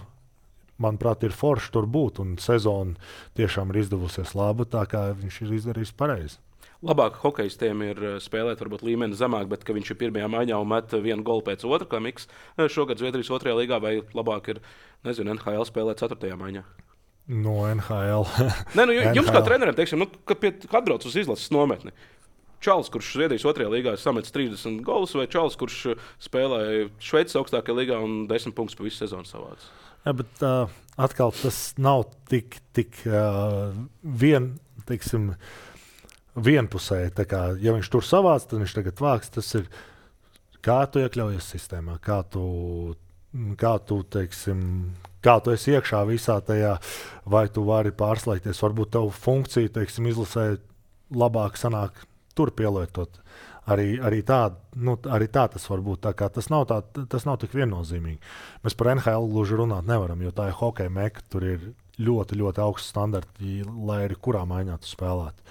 manuprāt, ir forši tur būt. Un sezona tiešām ir izdevusies laba, tā kā viņš ir izdarījis pareizi. Labāk hokeistiem ir spēlēt varbūt līmeni zemāk, bet ka viņš ir pirmajā maiņā un met vienu golu pēc otra, kā Mikls šogad Zviedrijas otrajā līgā, vai labāk ir, nezinu, N H L spēlēt ceturtajā maiņā? No N H L. Nē, nu, jums kā treneriem, teiksim, nu, ka pie, atbrauc uz izlases nometni. Čalis, kurš Zviedrijas otrajā līgā samets trīsdesmit golus, vai Čalis, kurš spēlēja Šveices augstākajā līgā un desmit punktus pa visu sezonu savāds? Jā, bet uh, atkal tas nav tik, tik uh, vien, teiksim, vienpusēji. Tā kā, ja viņš tur savāc, tad viņš tagad vāks. Tas ir, kā tu iekļaujies sistēmā, kā tu, kā tu, teiksim, kā tu esi iekšā visā tajā, vai tu vari pārslēgties. Varbūt tavu funkciju, teiksim, izlasē labāk sanāk tur pielietot. Arī, arī, tā, nu, arī tā tas var būt. Tā kā tas nav, tā, tas nav tik viennozīmīgi. Mēs par N H L gluži runāt nevaram, jo tā ir hokeja meka. Tur ir ļoti, ļoti augsts standarti, lai arī kurā maiņā tu spēlētu.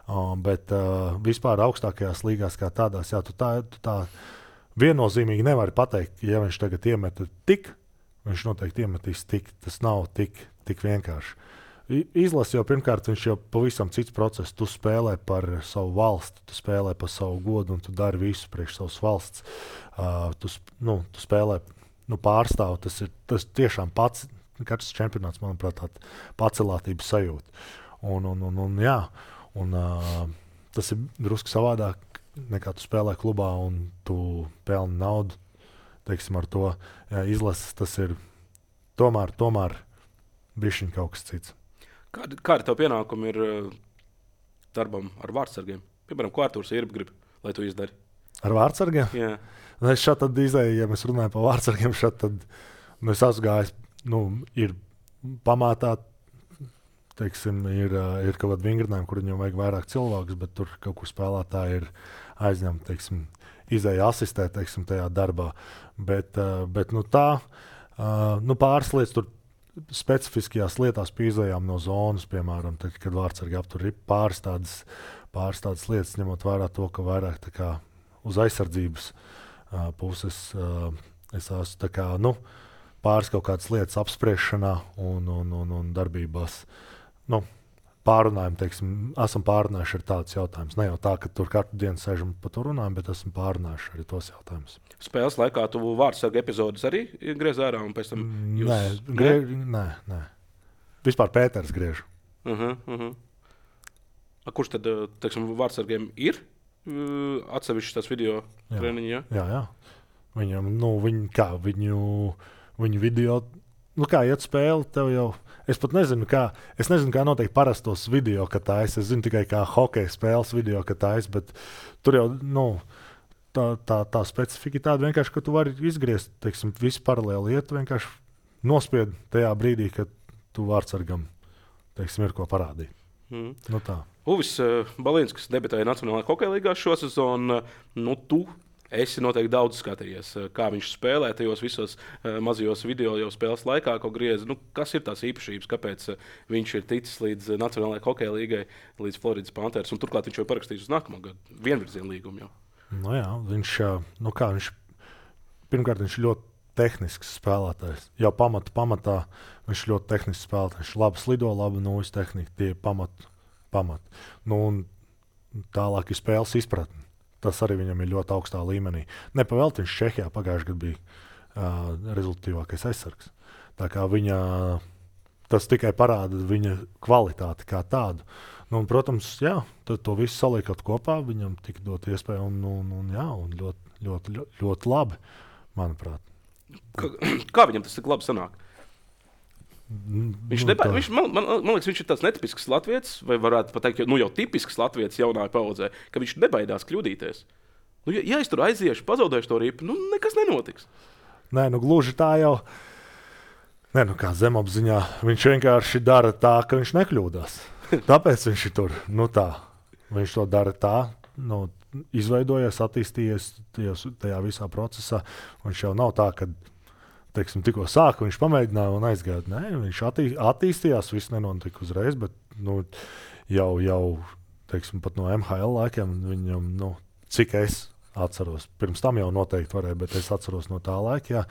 Uh, bet uh, vispār augstākajās līgās kā tādās, jā, tu tā, tu tā viennozīmīgi nevari pateikt, ja viņš tagad iemeta tik, viņš noteikti iemetīs tik. Tas nav tik, tik vienkārši. Izlasi jau pirmkārt, viņš jau pavisam cits process. Tu spēlē par savu valsti, tu spēlē par savu godu un tu dari visu priekš savas valsts. Uh, tu, nu, tu spēlē nu, pārstāv. Tas ir tas tiešām pats, katrs čempionāts, manuprāt, tāda pacelātības sajūta. Un, un, un, un, jā, un uh, tas ir drusku savādāk, nekā tu spēlē klubā un tu pelni naudu. Teiksim, ar to jā, izlases, tas ir tomēr, tomēr bišķiņ kaut kas cits. Kāda, kāda tev pienākuma ir uh, darbam ar vārdsargiem? Piemēram, ko Artūrs Irba grib, lai tu izdari? Ar vārdsargiem? Jā. Nu, es šādi tad izēju, ja mēs runājam par vārdsargiem, šādi tad nu, es esmu gājis, nu, ir pamātā, teiksim, ir, ir kaut kādi vingrinājumi, kur viņam vajag vairāk cilvēkus, bet tur kaut kur spēlētāji ir aizņemti, teiksim, izēja asistēt, teiksim, tajā darbā. Bet, bet nu, tā, nu, pāris lietas tur specifiskajās lietās pīzējām no zonas, piemēram, tad, kad vārdsargi aptur ir pāris tādas, pāris tādas lietas, ņemot vērā to, ka vairāk tā kā uz aizsardzības uh, puses uh, es esmu tā kā, nu, pāris kaut kādas lietas apspriešanā un, un, un, un darbībās. Nu, pārunājam, teiksim, esam pārunājuši ar tādus jautājumus. Ne jau tā, ka tur katru dienu sēžam pa to runājam, bet esam pārunājuši arī tos jautājumus. Spēles laikā tu vārdsarga epizodes arī griez ārā un pēc tam jūs... Nē, griež, nē, nē. Vispār Pēters griež. Uh -huh, uh -huh. A, kurš tad, teiksim, vārdsargiem ir uh, atsevišķi tās video Jā. treniņi? Ja? Jā, jā. Viņam, nu, viņu, kā, viņu, viņu video, nu, kā iet spēle, tev jau, es pat nezinu, kā, es nezinu, kā noteikti parastos video, ka taisa, es zinu tikai kā hokeja spēles video, ka taisa, bet tur jau, nu, tā, tā, tā specifika tāda vienkārši, ka tu vari izgriezt, teiksim, visu paralēli iet, vienkārši nospied tajā brīdī, kad tu vārdsargam, teiksim, ir ko parādīt. Mm. Nu tā. Uvis uh, Balīns, kas debitēja Nacionālajā hokeja līgā šo sezonu, uh, nu, tu esi noteikti daudz skatījies, uh, kā viņš spēlē tajos visos uh, mazajos video jau spēles laikā, ko griez. Nu, kas ir tās īpašības, kāpēc uh, viņš ir ticis līdz uh, Nacionālajai hokeja līgai, līdz Floridas Panthers, un turklāt viņš jau parakstījis uz nākamo gadu vienvirzienu līgumu jau. Nu jā, viņš, nu kā, viņš, pirmkārt, viņš ļoti tehnisks spēlētājs. Jau pamata pamatā viņš ļoti tehnisks spēlētājs. Viņš labi slido, labi nūjas tehnika, tie ir pamat, pamat. Nu, un tālāk ir spēles izpratne. Tas arī viņam ir ļoti augstā līmenī. Nepavēlti viņš Čehijā pagājušajā gadā bija uh, rezultātīvākais aizsargs. Tā kā viņa, tas tikai parāda viņa kvalitāti kā tādu. Nu, un, protams, jā, to visu saliekot kopā, viņam tika dot iespēju, un, un, un, jā, un ļoti, ļoti, ļoti, ļoti labi, manuprāt. Kā, kā viņam tas tik labi sanāk? Viņš, nu, neba, viņš, man, man, man liekas, viņš ir tāds netipisks latviečs, vai varētu pat teikt, nu, jau tipisks latviečs jaunā paudzē, ka viņš nebaidās kļūdīties. Nu, ja, ja es tur aiziešu, pazaudēšu to ripu, nu, nekas nenotiks. Nē, nu, gluži tā jau. Nē, nu, kā zemapziņā, viņš vienkārši dara tā, ka viņš nekļūdās. Tāpēc viņš ir tur. Nu, tā. Viņš to dara tā, nu, izveidojies, attīstījies tajos, tajā visā procesā. Viņš jau nav tā, ka teiksim, tikko sāka, viņš pamēģināja un aizgāja. Nē, viņš attī, attīstījās, viss nenotika uzreiz, bet nu, jau, jau teiksim, pat no M H L laikiem viņam, nu, cik es atceros, pirms tam jau noteikti varēja, bet es atceros no tā laika, jā,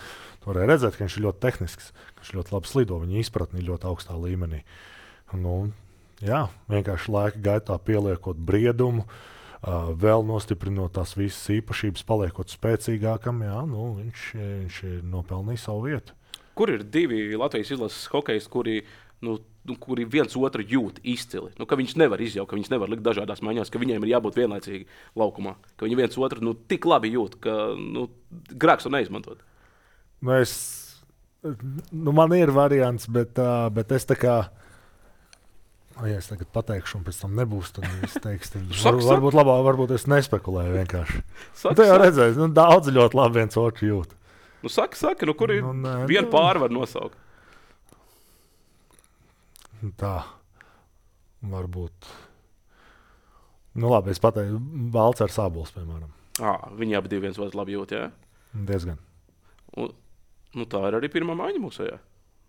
varēja redzēt, ka viņš ir ļoti tehnisks, ka viņš ļoti labi slido, viņa izpratni ir ļoti augstā līmenī. Nu, jā, vienkārši laika gaitā pieliekot briedumu, uh, vēl nostiprinot tās visas īpašības, paliekot spēcīgākam, jā, nu, viņš, viņš ir nopelnījis savu vietu. Kur ir divi Latvijas izlases hokejs, kuri, nu, nu, kuri viens otru jūt izcili? Nu, ka viņš nevar izjaukt, ka viņš nevar likt dažādās maiņās, ka viņiem ir jābūt vienlaicīgi laukumā, ka viņi viens otru nu, tik labi jūt, ka nu, grēks to neizmantot. Nu, es, nu, man ir variants, bet, uh, bet es tā kā ja es tagad pateikšu, un pēc tam nebūs, tad es teikšu, var, varbūt labāk, varbūt es nespekulēju vienkārši. Saka, nu, jau redzēju, nu, daudz ļoti labi viens otru jūt. Nu, saka, saka, nu, kur ir nu, nē, vienu nu, pāri var nosaukt? Tā, varbūt. Nu, labi, es pateiktu, Valts ar Sābols, piemēram. À, viņi abi divi viens otru labi jūt, jā? Diezgan. Un, nu, tā ir arī pirmā maiņa mūsu, jā?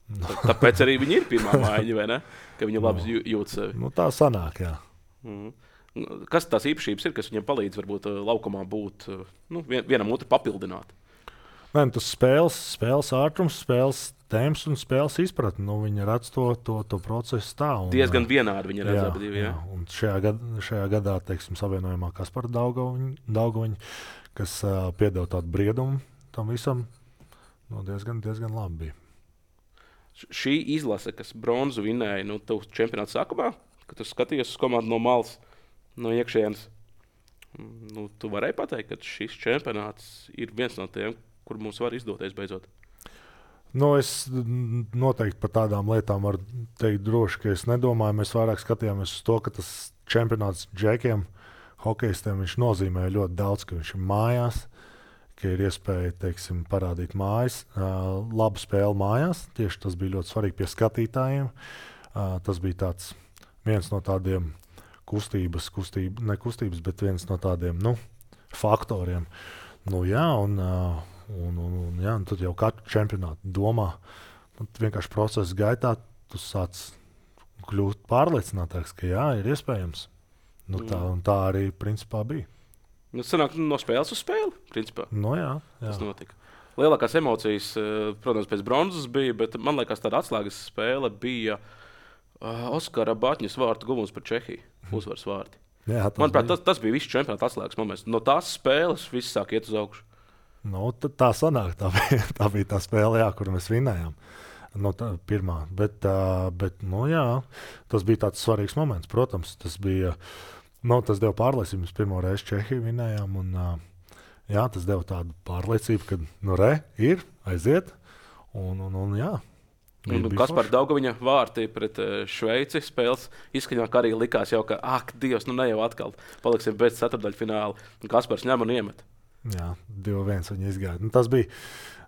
No. Tāpēc arī viņi ir pirmā maiņa, vai ne? Ka viņi labi no. jūt sevi. Nu, tā sanāk, jā. Mm. Kas tās īpašības ir, kas viņiem palīdz varbūt laukumā būt, nu, vienam otru papildināt? Nē, nu, tas spēles, spēles ātrums, spēles tēmas un spēles izpratne. Nu, viņi redz to, to, to procesu tā. Un, diezgan vienādi viņi redz abi divi, jā. jā. Un šajā, gad, šajā gadā, teiksim, savienojumā Kaspara Daugoviņa, kas uh, piedeva tādu briedumu tam visam, nu, diezgan, diezgan labi bija. Šī izlase, kas bronzu vinēja nu, čempionāta sākumā, kad tu skaties uz komandu no malas, no iekšienes, nu, tu varēji pateikt, ka šis čempionāts ir viens no tiem, kur mums var izdoties beidzot. Nu, es noteikti par tādām lietām varu teikt droši, ka es nedomāju. Mēs vairāk skatījāmies uz to, ka tas čempionāts džekiem, hokejistiem, viņš nozīmē ļoti daudz, ka viņš ir mājās, ka ir iespēja, teiksim, parādīt mājas, uh, labu spēli mājās. Tieši tas bija ļoti svarīgi pie skatītājiem. Uh, tas bija tāds viens no tādiem kustības, kustība, ne kustības, bet viens no tādiem, nu, faktoriem. Nu, jā, un, uh, un, un, un, jā, un tad jau katru čempionātu domā. Vienkārši procesa gaitā tu sāc kļūt pārliecinātāks, ka jā, ir iespējams. Nu, tā, un tā arī principā bija. Nu, sanāk, no spēles uz spēli, principā. No jā, jā. Tas notika. Lielākās emocijas, protams, pēc bronzas bija, bet man liekas, tāda atslēgas spēle bija uh, Oskara Batņas vārtu guvums par Čehiju. Uzvaras vārti. Jā, tas Manuprāt, bija. tas, tas bija viss čempionāta atslēgas moments. No tās spēles viss sāk iet uz augšu. Nu, tā sanāk, tā bija, tā bija tā spēle, jā, kuru mēs vinējām. No tā pirmā, bet, uh, bet nu, jā, tas bija tāds svarīgs moments. Protams, tas bija, nu, tas deva pārliecību. Mēs pirmo reizi Čehiju vinējām, un uh, jā, tas deva tādu pārliecību, ka, nu, re, ir, aiziet, un, un, un jā. Un Kaspars Daugaviņa vārti pret Šveici spēles izskaņā, ka arī likās jau, ka, ak, Dievs, nu ne jau atkal paliksim bez ceturtdaļfināla. Un Kaspars ņem un iemet. Jā, divi viens viņi izgāja. Nu, tas bija,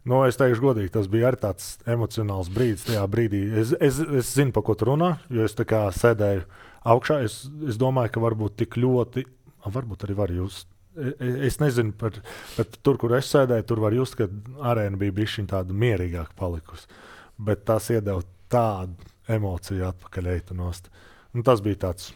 nu, es teikšu godīgi, tas bija arī tāds emocionāls brīdis tajā brīdī. Es, es, es zinu, pa ko tu runā, jo es tā kā sēdēju augšā. Es, es domāju, ka varbūt tik ļoti, varbūt arī var just. Es nezinu, par, bet tur, kur es sēdēju, tur var just, ka arēna bija bišķiņ tāda mierīgāka palikusi. Bet tas iedeva tādu emociju atpakaļ eitu-nost. Un tas bija tāds,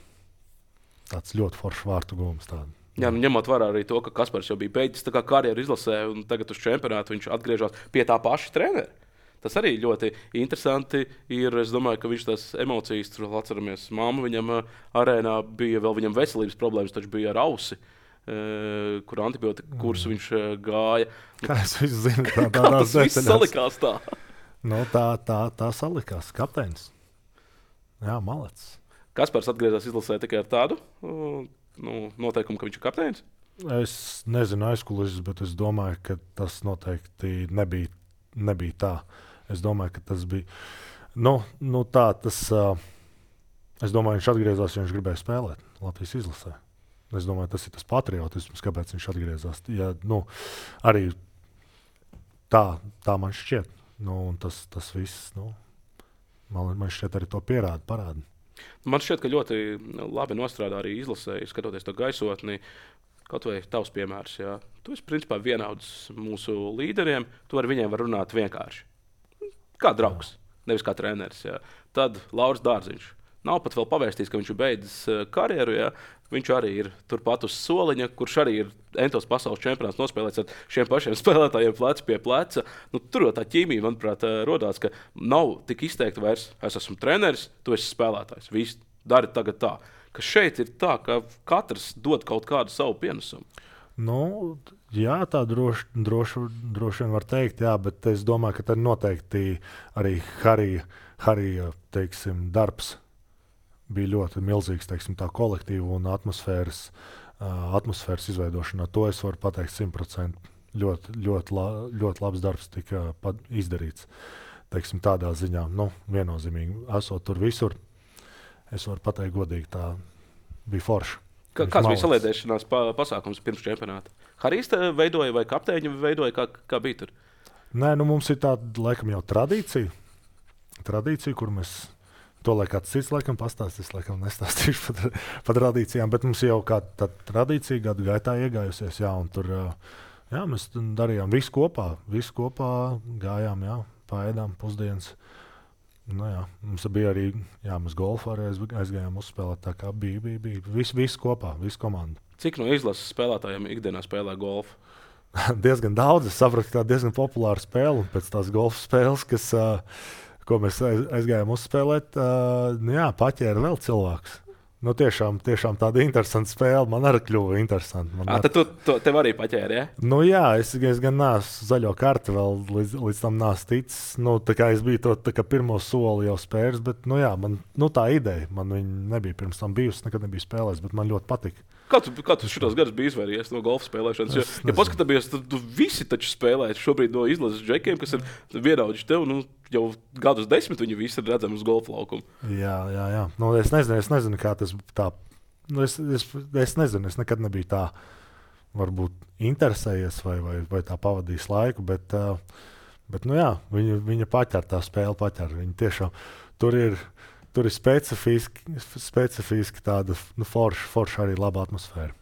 tāds ļoti foršs vārtu gūms. Tādu. Jā, nu, ņemot vērā arī to, ka Kaspars jau bija beidzis karjeru izlasē, un tagad uz čempionātu viņš atgriežas pie tā paša trenera. Tas arī ļoti interesanti ir. Es domāju, ka viņš tās emocijas, tur atceramies, mamma viņam arēnā bija vēl viņam veselības problēmas, taču bija ar ausi. Uh, kur antibiotika kursu viņš uh, gāja. Kā es zinu, tā, kā tas viss salikās tā? Nu, tā, tā, tā salikās. Kapteinis. Jā, malets. Kaspars atgriezās izlasē tikai ar tādu uh, nu, noteikumu, ka viņš ir kapteinis? Es nezinu aizkulises, bet es domāju, ka tas noteikti nebija, nebija tā. Es domāju, ka tas bija nu, nu tā. Tas, uh, es domāju, viņš atgriezās, jo viņš gribēja spēlēt Latvijas izlasē. Es domāju, tas ir tas patriotisms, kāpēc viņš atgriezās. Ja, nu, arī tā, tā man šķiet. Nu, tas, tas viss, nu, man, man šķiet, arī to pierāda, parāda. Man šķiet, ka ļoti labi nostrādā arī izlasē, skatoties to gaisotni. Kaut vai tavs piemērs, jā. Tu esi principā vienauds mūsu līderiem, tu ar viņiem var runāt vienkārši. Kā draugs, jā. Nevis kā treneris. Jā. Tad Lauris Dārziņš. Nav pat vēl pavēstījis, ka viņš ir beidzis karjeru. Jā. Viņš arī ir turpat uz soliņa, kurš arī ir entos pasaules čempionāts nospēlēts ar šiem pašiem spēlētājiem plecu pie pleca. Nu, tur jau tā ķīmija, manuprāt, rodās, ka nav tik izteikti vairs. Es esmu treneris, tu esi spēlētājs. Viss dari tagad tā. Ka šeit ir tā, ka katrs dod kaut kādu savu pienesumu. Nu, jā, tā droši, droši, droši vien var teikt, jā, bet es domāju, ka tad noteikti arī Harija, Harija, teiksim, darbs bija ļoti milzīgs, teiksim, tā kolektīva un atmosfēras, uh, atmosfēras izveidošanā. To es varu pateikt simt procenti. Ļoti, ļoti, la, ļoti labs darbs tika izdarīts. Teiksim, tādā ziņā, nu, viennozīmīgi. Esot tur visur, es varu pateikt godīgi, tā bija forša. Kā, kāds bija saliedēšanās pa, pasākums pirms čempionāta? Harijs veidoja vai kapteiņi veidoja, kā, kā bija tur? Nē, nu mums ir tāda, laikam, jau tradīcija, tradīcija, kur mēs to, lai kāds cits, laikam, pastāstīs, laikam, nestāstīšu par, par tradīcijām, bet mums jau kāda tā tradīcija gadu gaitā iegājusies, jā, un tur, jā, mēs darījām visu kopā, visu kopā gājām, jā, paēdām pusdienas. Nu, jā, mums bija arī, jā, mēs golfu arī aizgājām uzspēlēt, tā kā bija, bija, bija. Visu, visu kopā, visu komandu. Cik no izlases spēlētājiem ikdienā spēlē golfu? Diezgan daudz, es sapratu, ka tā diezgan populāra spēle, un pēc tās golfu spēles, kas, uh, ko mēs aizgājām uzspēlēt, uh, nu jā, paķēra vēl cilvēks. Nu, tiešām, tiešām tāda interesanta spēle. Man arī kļuva interesanti. À, tad tu, tu tev arī paķēri, ja? Nu, jā, es, es gan neesmu zaļo karti vēl līdz, līdz tam neesmu ticis. Nu, tā kā es biju to tā kā pirmo soli jau spēris, bet nu, jā, man, nu, tā ideja, man viņa nebija pirms tam bijusi, nekad nebija spēlējis, bet man ļoti patika. Kā tu, kā tu šitos gadus biji izvairījies no golfa spēlēšanas? Jo, ja paskatāmies, tad tu visi taču spēlē šobrīd no izlases džekiem, kas ir vienaudži tev, nu, jau gadus desmit viņi visi ir redzami uz golfa laukumu. Jā, jā, jā. Nu, es nezinu, es nezinu, kā tas tā, nu, es, es, es nezinu, es nekad nebiju tā, varbūt interesējies vai, vai, vai tā pavadījis laiku, bet, uh, bet nu jā, viņa, viņa paķer tā spēle, paķer. Viņa tiešām tur ir, tur ir specifiski, specifiski tāda, nu, forša, forša arī laba atmosfēra.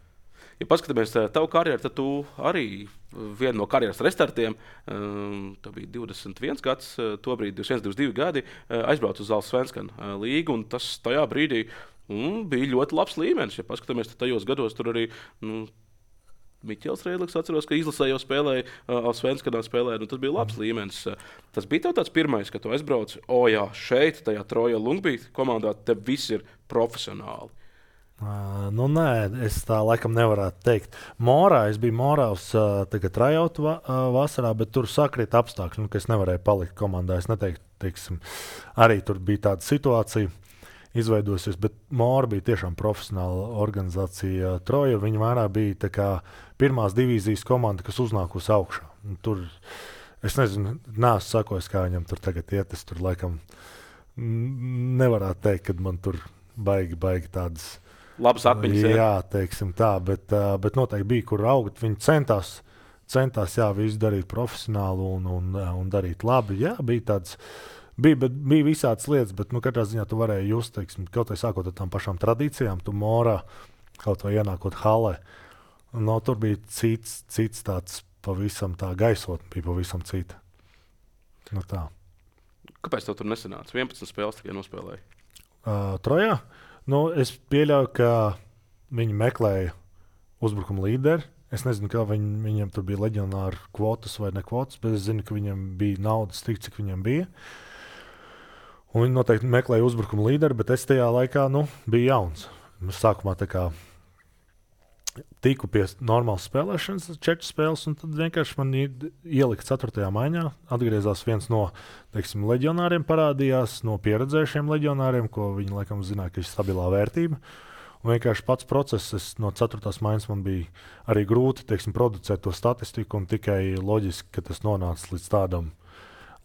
Ja paskatāmies tavu karjeru, tad tu arī vienu no karjeras restartiem, um, tā bija divdesmit viens gads, tobrīd divdesmit viens, divdesmit divi gadi, aizbraucu uz Allsvenskana līgu, un tas tajā brīdī um, bija ļoti labs līmenis. Ja paskatāmies, tad tajos gados tur arī nu, Miķels Reidliks, atceros, ka izlasē jau spēlēja, Allsvenskanā spēlēja, nu, tas bija labs līmenis. Tas bija tev tāds pirmais, ka tu aizbrauci, o jā, šeit, tajā Troja Lungbeat komandā, te viss ir profesionāli. Uh, nu, nē, es tā laikam nevarētu teikt. Morā, es biju Morā uz uh, trajautu va, uh, vasarā, bet tur sakrita apstākļi, nu, ka es nevarēju palikt komandā. Es neteiktu, teiksim, arī tur bija tāda situācija izveidosies, bet Mora bija tiešām profesionāla organizācija. Troja, viņa vairāk bija tā kā pirmās divīzijas komanda, kas uznākusi augšā. Un tur, es nezinu, neesmu sakojis, kā viņam tur tagad iet, es tur laikam nevarētu teikt, ka man tur baigi, baigi tādas labas atmiņas. Jā, jā, teiksim tā, bet, bet noteikti bija, kur augt. Viņi centās, centās jā, visu darīt profesionāli un, un, un darīt labi. Jā, bija tāds, bija, bet, bija visādas lietas, bet nu, katrā ziņā tu varēji just, teiksim, kaut vai sākot ar tām pašām tradīcijām, tu Morā, kaut vai ienākot halē. No, tur bija cits, cits tāds pavisam tā gaisotne, bija pavisam cita. Nu, tā. Kāpēc tev tur nesanāca? vienpadsmit spēles tikai nospēlēja? Uh, Trojā? Nu, es pieļauju, ka viņi meklēja uzbrukuma līderi. Es nezinu, kā viņi, viņiem tur bija leģionāri kvotas vai ne kvotas, bet es zinu, ka viņiem bija naudas tik, cik viņiem bija. Un viņi noteikti meklēja uzbrukuma līderi, bet es tajā laikā nu, biju jauns. Es sākumā tā kā tiku pie normālas spēlēšanas, četras spēles, un tad vienkārši man ielika ceturtajā maiņā. Atgriezās viens no, teiksim, leģionāriem parādījās, no pieredzējušiem leģionāriem, ko viņi laikam zināja, ka ir stabilā vērtība. Un vienkārši pats process, es, no ceturtās maiņas man bija arī grūti, teiksim, producēt to statistiku, un tikai loģiski, ka tas nonāca līdz tādam,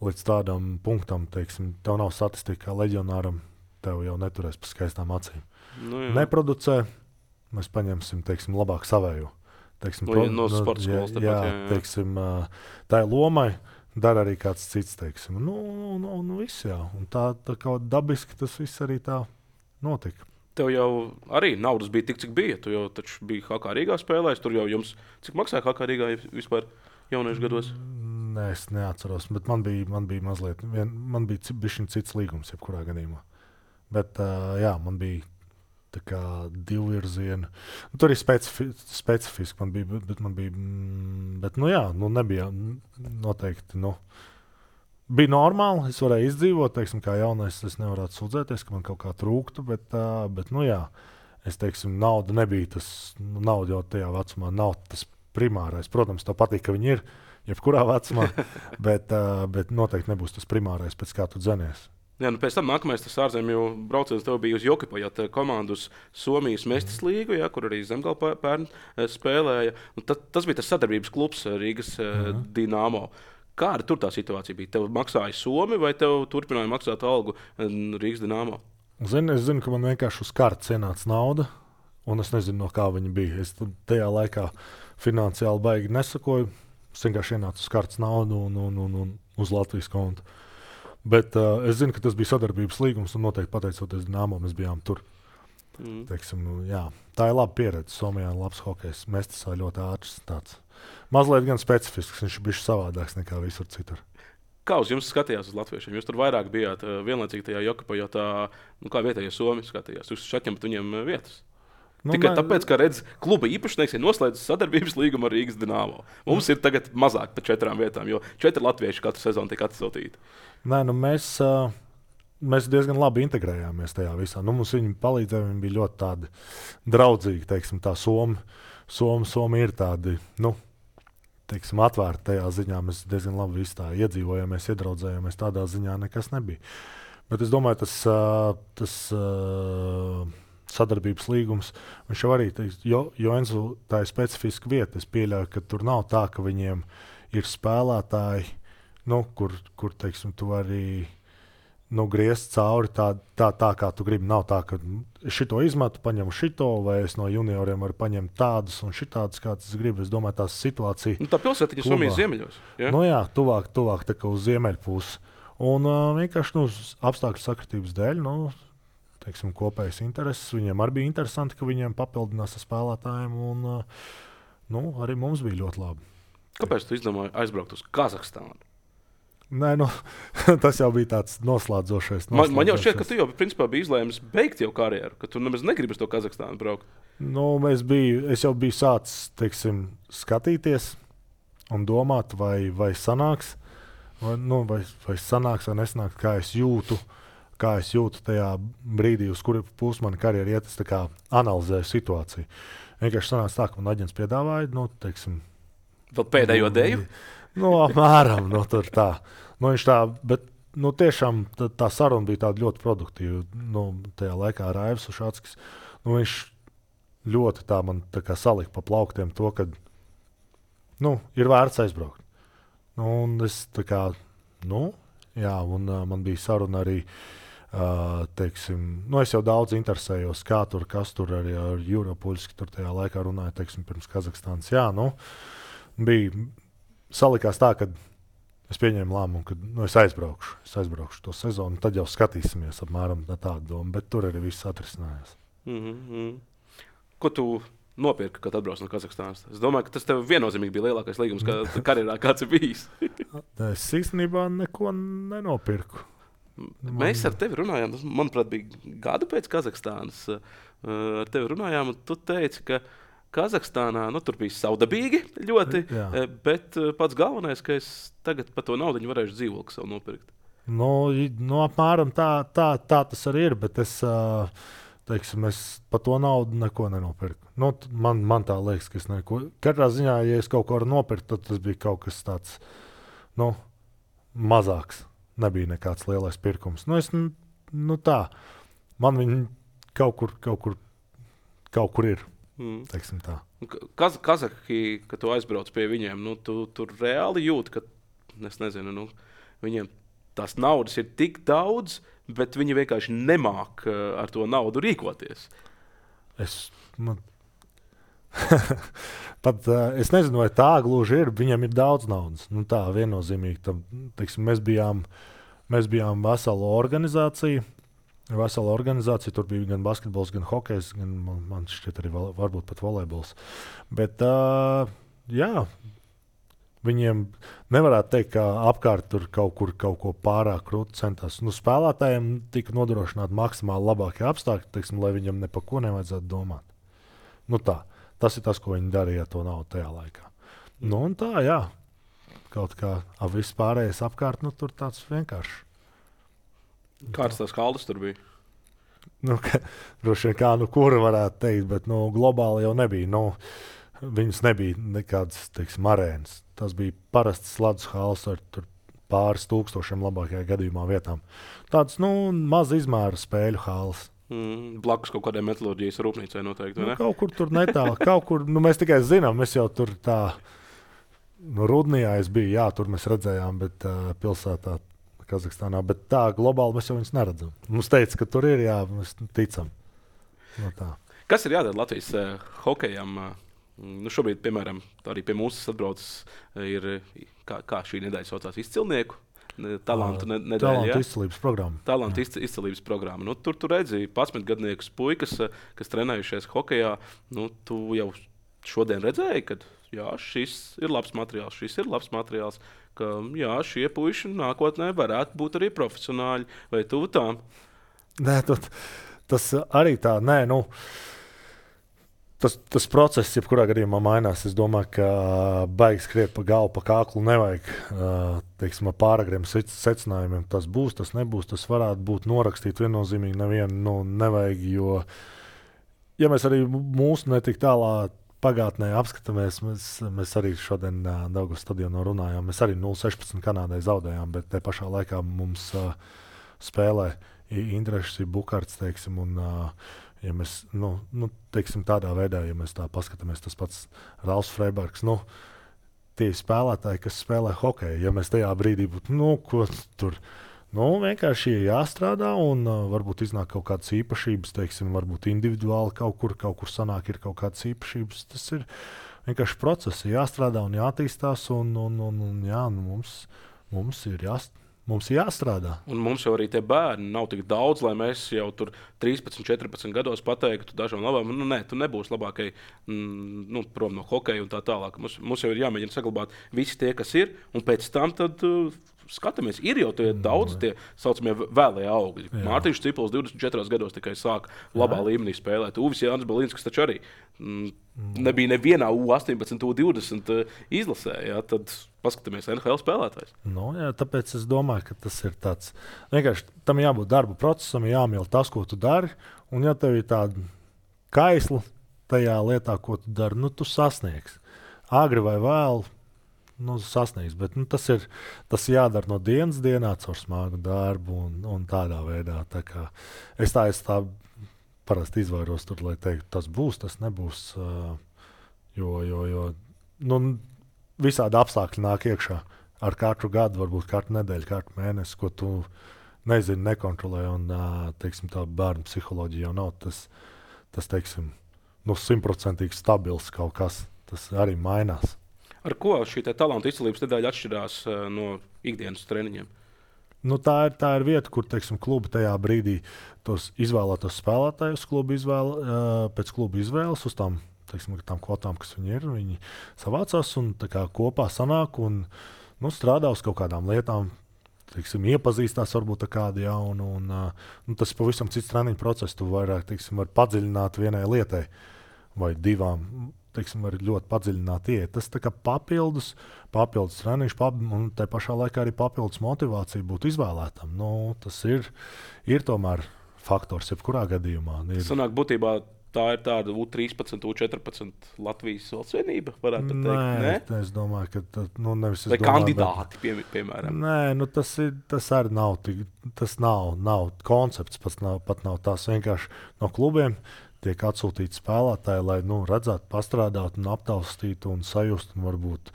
līdz tādam punktam, teiksim, tev nav statistika kā leģionāram, tev jau neturēs pa skaistām acīm. Nu, jā. Neproducē. Mēs paņemsim, teiksim, labāk savējo. Teiksim, no, no sporta skolas. Jā, jā, jā. Teiksim, tā ir lomai, dara arī kāds cits, teiksim. Nu, nu, nu, nu viss, jā. Un tā, tā kā dabiski tas viss arī tā notika. Tev jau arī naudas bija tik, cik bija. Tu jau taču biji H K Rīgā spēlējis. Tur jau jums, cik maksāja H K Rīgā vispār jauniešu gados? Nē, es neatceros, bet man bija, man bija mazliet, vien, man bija bišķiņ cits līgums, jebkurā gadījumā. Bet, uh, jā, man bija tā kā divvirziena. Nu, tur ir specifi, specifiski, man bija, bet man bija, bet, nu jā, nu nebija noteikti, nu, bija normāli, es varēju izdzīvot, teiksim, kā jaunais, es nevarētu sūdzēties, ka man kaut kā trūktu, bet, uh, bet nu jā, es teiksim, nauda nebija tas, nu, nauda jau tajā vecumā nav tas primārais. Protams, tev patīk, ka viņi ir jebkurā vecumā, bet, uh, bet noteikti nebūs tas primārais, pēc kā tu dzenies. Jā, nu pēc tam nākamais tas ārzemju brauciens tev bija uz Jokipajat komandu uz Somijas Mestas līgu, jā, kur arī Zemgala pērn spēlēja. Nu, ta, tas bija tas sadarbības klubs Rīgas mm. Dinamo. Kāda tur tā situācija bija? Tev maksāja Somi vai tev turpināja maksāt algu Rīgas Dinamo? Zini, es zinu, ka man vienkārši uz kartes ienāca nauda, un es nezinu, no kā viņa bija. Es tajā laikā finansiāli baigi nesakoju. Es vienkārši ienācu uz kartes naudu un, un, un, un uz Latvijas kontu. Bet uh, es zinu, ka tas bija sadarbības līgums, un noteikti pateicoties Dinamo, mēs bijām tur. Mm. Teiksim, nu, jā, tā ir laba pieredze. Somijā ir labs hokejs. Mestas ir ļoti ātrs. Tāds. Mazliet gan specifisks, viņš ir bijis savādāks nekā visur citur. Kā uz jums skatījās uz latviešiem? Jūs tur vairāk bijāt uh, vienlaicīgi tajā Jokipajatā, nu kā vietējie Somi skatījās. Jūs šaķemat viņiem uh, vietas. Nu, Tikai man... tāpēc, ka redz, kluba īpašnieks ir noslēdzis sadarbības līgumu ar Rīgas Dinamo. Mums mm. ir tagad mazāk par četrām vietām, jo četri latvieši katru sezonu tiek atsūtīti. Nē, nu mēs, uh, mēs diezgan labi integrējāmies tajā visā. Nu, mums viņi palīdzēja, viņi bija ļoti tādi draudzīgi, teiksim, tā Somi. Somi, Somi ir tādi, nu, teiksim, atvērti tajā ziņā. Mēs diezgan labi visi tā iedzīvojāmies, iedraudzējāmies, tādā ziņā nekas nebija. Bet es domāju, tas, uh, tas uh, sadarbības līgums, viņš jau arī, teiks, jo, jo Enzu tā ir specifiska vieta. Es pieļauju, ka tur nav tā, ka viņiem ir spēlētāji, nu, kur, kur teiksim, tu arī nu, griezt cauri tā, tā, tā, kā tu gribi. Nav tā, ka šito izmetu, paņemu šito, vai es no junioriem varu paņemt tādus un šitādus, kāds es gribu. Es domāju, tās situācija... Nu, tā pilsētiņa Somijas ziemeļos. Ja? Nu jā, tuvāk, tuvāk tā kā uz ziemeļu pusi. Un uh, vienkārši nu, apstākļu sakritības dēļ, nu, teiksim, kopējas intereses. Viņiem arī bija interesanti, ka viņiem papildinās ar spēlētājiem, un uh, nu, arī mums bija ļoti labi. Kāpēc tu izdomāji aizbraukt uz Kazahstānu? Nē, nu, tas jau bija tāds noslēdzošais. Man, man jau šķiet, ka tu jau principā biji izlēmis beigt jau karjeru, ka tu nemaz negribi uz to Kazahstānu braukt. Nu, es, biju, es jau biju sācis, teiksim, skatīties un domāt, vai, vai sanāks, vai, nu, vai, vai sanāks vai nesanāks, kā es jūtu, kā es jūtu tajā brīdī, uz kuru pusi mana karjera iet, es tā kā analizēju situāciju. Vienkārši sanāca tā, ka man aģents piedāvāja, nu, teiksim... Vēl pēdējo deju? Nu, apmēram, nu, tur tā. Nu, viņš tā, bet nu, tiešām tā, tā saruna bija tāda ļoti produktīva. Nu, tajā laikā Raivs Ušatskis, nu, viņš ļoti tā man tā kā salika pa plauktiem to, ka nu, ir vērts aizbraukt. Nu, un es tā kā, nu, jā, un uh, man bija saruna arī, uh, teiksim, nu, es jau daudz interesējos, kā tur, kas tur arī ar Juropuļski tur tajā laikā runāja, teiksim, pirms Kazahstānas. Jā, nu, bija salikās tā, ka es pieņēmu lēmumu, ka nu, es aizbraukšu, es aizbraukšu to sezonu, tad jau skatīsimies apmēram tādu domu, bet tur arī viss atrisinājās. Mm-hmm. Ko tu nopirki, kad atbrauc no Kazahstānas? Es domāju, ka tas tev viennozīmīgi bija lielākais līgums, kā karjerā kāds ir bijis. Es īstenībā neko nenopirku. Mēs ar tevi runājām, tas, manuprāt, bija gadu pēc Kazahstānas. Ar tevi runājām, un tu teici, ka Kazahstānā nu, tur bija saudabīgi ļoti, jā. Bet pats galvenais, ka es tagad par to naudiņu varēšu dzīvokli savu nopirkt. Nu, nu apmēram tā, tā, tā tas arī ir, bet es... Uh, Teiksim, es par to naudu neko nenopirku. Nu, man, man tā liekas, ka es neko. Katrā ziņā, ja es kaut ko varu nopirkt, tad tas bija kaut kas tāds nu, mazāks. Nebija nekāds lielais pirkums. Nu, es, nu, tā. Man viņi kaut kur, kaut kur, kaut kur ir. Mm. Teiksim tā. Kaz, Kazahī, kad tu aizbrauc pie viņiem, nu, tu tur reāli jūti, ka es nezinu, nu, viņiem tās naudas ir tik daudz, bet viņi vienkārši nemāk ar to naudu rīkoties. Es, man... Pat, es nezinu, vai tā gluži ir. Viņam ir daudz naudas. Nu, tā viennozīmīgi. Tam, teiksim, mēs bijām, mēs bijām vesela organizācija. Vesela organizācija. Tur bija gan basketbols, gan hokejs, gan man, man šķiet arī varbūt pat volejbols. Bet, uh, jā, viņiem nevarētu teikt, ka apkārt tur kaut kur kaut ko pārāk krūti centās. Nu, spēlētājiem tika nodrošināti maksimāli labākie apstākļi, teiksim, lai viņam ne par ko nevajadzētu domāt. Nu, tā. Tas ir tas, ko viņi darīja ar to naudu tajā laikā. Nu, un tā, jā. Kaut kā ap viss pārējais apkārt, nu, tur tāds vienkārši. Kāds tās kaldas tur bija? Nu, ka, droši vien kā, nu, kura varētu teikt, bet, nu, globāli jau nebija. Nu, viņas nebija nekādas, teiksim, arēnas. Tas bija parasts ledus hals ar pāris tūkstošiem labākajā gadījumā vietām. Tāds, nu, maz izmēra spēļu hals. Mm, blakus kaut kādai metalurģijas rūpnīcai noteikti, vai ne? Nu, kaut kur tur netālu, kaut kur, nu, mēs tikai zinām, mēs jau tur tā, nu, Rudnijā es biju, jā, tur mēs redzējām, bet uh, pilsētā Kazahstānā, bet tā globāli mēs jau viņus neredzam. Mums teica, ka tur ir, jā, mēs ticam. No tā. Kas ir jādara Latvijas uh, hokejam? Uh, Nu, šobrīd, piemēram, arī pie mums atbraucis ir, kā, kā šī nedēļa saucās, izcilnieku talantu nedēļa. Talantu izcilības programma. Talantu izcilības programma. Nu, tur tu redzi padsmitgadniekus puikas, kas trenējušies hokejā. Nu, tu jau šodien redzēji, ka jā, šis ir labs materiāls, šis ir labs materiāls, ka jā, šie puiši nākotnē varētu būt arī profesionāļi. Vai tu tām? Nē, tad, tas arī tā, nē, nu... Tas, tas process, jebkurā gadījumā mainās. Es domāju, ka baigi skriet pa galvu, pa kāklu nevajag. Teiksim, ar pāragriem secinājumiem tas būs, tas nebūs. Tas varētu būt norakstīt viennozīmīgi nevienu nu, nevajag, jo, ja mēs arī mūsu netik tālā pagātnē apskatāmies, mēs, mēs arī šodien Daugavas stadionā runājām. Mēs arī nulle sešpadsmit Kanādai zaudējām, bet te pašā laikā mums uh, spēlē Indrešs, Bukarts, teiksim, un uh, ja mēs, nu, nu, teiksim, tādā veidā, ja mēs tā paskatāmies, tas pats Ralfs Freibergs, nu, tie spēlētāji, kas spēlē hokeju, ja mēs tajā brīdī būtu, nu, ko tur, nu, vienkārši jāstrādā un uh, varbūt iznāk kaut kādas īpašības, teiksim, varbūt individuāli kaut kur, kaut kur sanāk ir kaut kādas īpašības, tas ir vienkārši procesi, jāstrādā un jātīstās un, un, un, un jā, nu, mums, mums ir jāstrādā. Mums ir jāstrādā. Un mums jau arī tie bērni nav tik daudz, lai mēs jau tur trīspadsmit, četrpadsmit gados pateiktu dažām labām, nu nē, tu nebūsi labākai mm, nu, prom no hokeja un tā tālāk. Mums, mums jau ir jāmēģina saglabāt visi tie, kas ir, un pēc tam tad uh, skatāmies. Ir jau tie daudz tie saucamie vēlējie augļi. Mārtiņš Cipuls divdesmit četros gados tikai sāk labā Jā. līmenī spēlēt. Uvis Jānis Balinskis taču arī mm, nebija nevienā U astoņpadsmit, U divdesmit uh, izlasē. Jā, tad paskatāmies N H L spēlētājs. No, jā, tāpēc es domāju, ka tas ir tāds. Vienkārši tam jābūt darba procesam, jāmīl tas, ko tu dari. Un ja tev ir tāda kaisla tajā lietā, ko tu dari, nu tu sasniegsi. Agri vai vēl, nu, sasniegs. Bet, nu, tas ir tas jādara no dienas dienā caur smagu darbu un, un tādā veidā. Tā kā es tā, es tā parasti izvairos tur, lai teiktu, tas būs, tas nebūs. Uh, jo, jo, jo nu, visādi apstākļi nāk iekšā ar katru gadu, varbūt katru nedēļu, katru mēnesi, ko tu nezini, nekontrolē. Un, uh, teiksim, tā bērnu psiholoģija jau nav tas, tas teiksim, nu, simtprocentīgi stabils kaut kas. Tas arī mainās. Ar ko šī talanta izcēlības nedēļa atšķirās uh, no ikdienas treniņiem? Nu, tā, ir, tā ir vieta, kur teiksim, klubi tajā brīdī tos izvēlētos spēlētājus klubu izvēle, uh, pēc klubu izvēles uz tām, teiksim, tām kvotām, kas viņi ir. Viņi savācās un kā, kopā sanāk un nu, strādā uz kaut kādām lietām. Teiksim, iepazīstās varbūt ar kādu jaunu. Un, uh, nu, tas ir pavisam cits treniņu process. Tu vairāk teiksim, vari padziļināt vienai lietai vai divām. Teiksim, arī ļoti padziļināti iet. Tas tā kā papildus, papildus treniņš, pap, un tā pašā laikā arī papildus motivācija būt izvēlētam. Nu, tas ir, ir tomēr faktors, jebkurā gadījumā. Ir... Sanāk, būtībā tā ir tāda U trīspadsmit, U četrpadsmit Latvijas valsts vienība, varētu teikt. Nē, Nē? es domāju, ka tā, nu, nevis es vai domāju, kandidāti, pie, piemēram. Nē, nu, tas, ir, tas arī nav, tik, tas nav, nav koncepts, pats nav, pat nav tās vienkārši no klubiem. Tiek atsūtīti spēlētāji, lai nu, redzētu, pastrādātu, un aptaustītu un sajustu. Un varbūt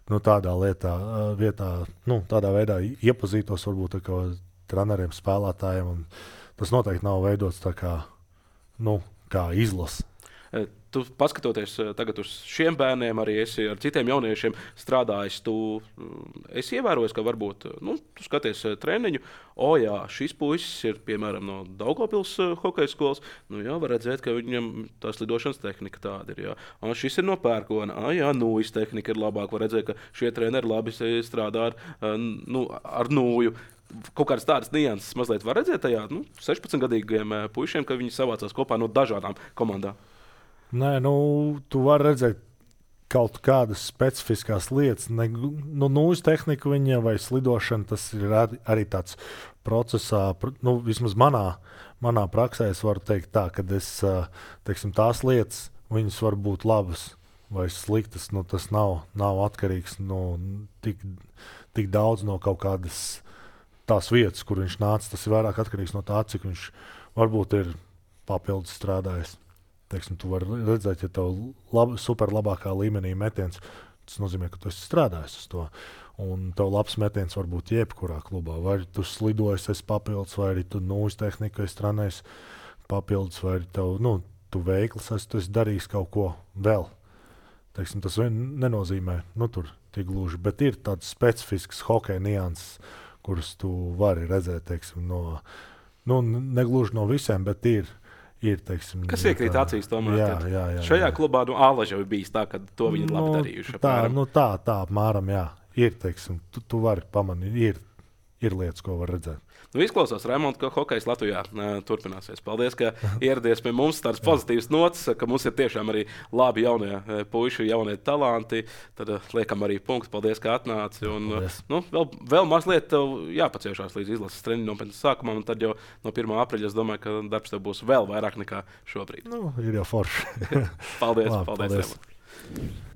nu, tādā, lietā, vietā, nu, tādā veidā iepazītos varbūt, ar treneriem, spēlētājiem. Tas noteikti nav veidots tā kā, nu, kā izlase. Tu paskatoties tagad uz šiem bērniem, arī esi ar citiem jauniešiem strādājis. Tu esi ievērojis, ka varbūt nu, tu skaties treniņu. O, jā, šis puisis ir piemēram no Daugavpils hokeja skolas. Nu, jā, var redzēt, ka viņam tās lidošanas tehnika tāda ir. Jā. Un šis ir no Pērkona. Ah, jā, nūjas tehnika ir labāka. Var redzēt, ka šie treneri labi strādā ar, nu, ar nūju. Kaut kādas tādas nianses mazliet var redzēt tajā nu, sešpadsmitgadīgiem puišiem, ka viņi savācās kopā no dažādām komandām. Nē, nu, tu vari redzēt kaut kādas specifiskas lietas. Ne, nu, nūjas tehnika viņa vai slidošana, tas ir arī, arī tāds procesā, nu, vismaz manā, manā praksē es varu teikt tā, ka es, teiksim, tās lietas, viņas var būt labas vai sliktas. Nu, tas nav, nav atkarīgs no tik, tik daudz no kaut kādas tās vietas, kur viņš nāca. Tas ir vairāk atkarīgs no tā, cik viņš varbūt ir papildus strādājis. Teiksim, tu vari redzēt, ja tev lab, super labākā līmenī metiens, tas nozīmē, ka tu esi strādājis uz to. Un tev labs metiens var būt jebkurā klubā. Vai tu slidojies, esi papildus, vai arī tu nūjas tehniku esi trenējis papildus, vai arī tev, nu, tu veikls esi, tu esi darījis kaut ko vēl. Teiksim, tas nenozīmē, nu, tur tik gluži, bet ir tāds specifisks hokeja nianses, kuras tu vari redzēt, teiksim, no, nu, negluži no visiem, bet ir. Ir, teiksim, kas iekrīt acīs tomēr? Jā, jā, jā, šajā jā. klubā nu, Ālaža jau bijis tā, ka to viņi nu, labi darījuši. Tā, nu, tā, tā apmēram, jā. Ir, teiksim, tu, tu vari pamanīt, ir, ir lietas, ko var redzēt. Nu, izklausās, Raimonds, ka hokejs Latvijā uh, turpināsies. Paldies, ka ieradies pie mums. Tāds pozitīvs nots, ka mums ir tiešām arī labi jaunie uh, puiši, jaunie talanti. Tad uh, liekam arī punktu. Paldies, ka atnāci. Un, uh, nu, vēl, vēl mazliet jāpaciešās līdz izlases treniņu nopietnas sākumam. Un tad jau no pirmā aprīļa es domāju, ka darbs tev būs vēl vairāk nekā šobrīd. Nu, ir jau forši. paldies, Labi, paldies, paldies.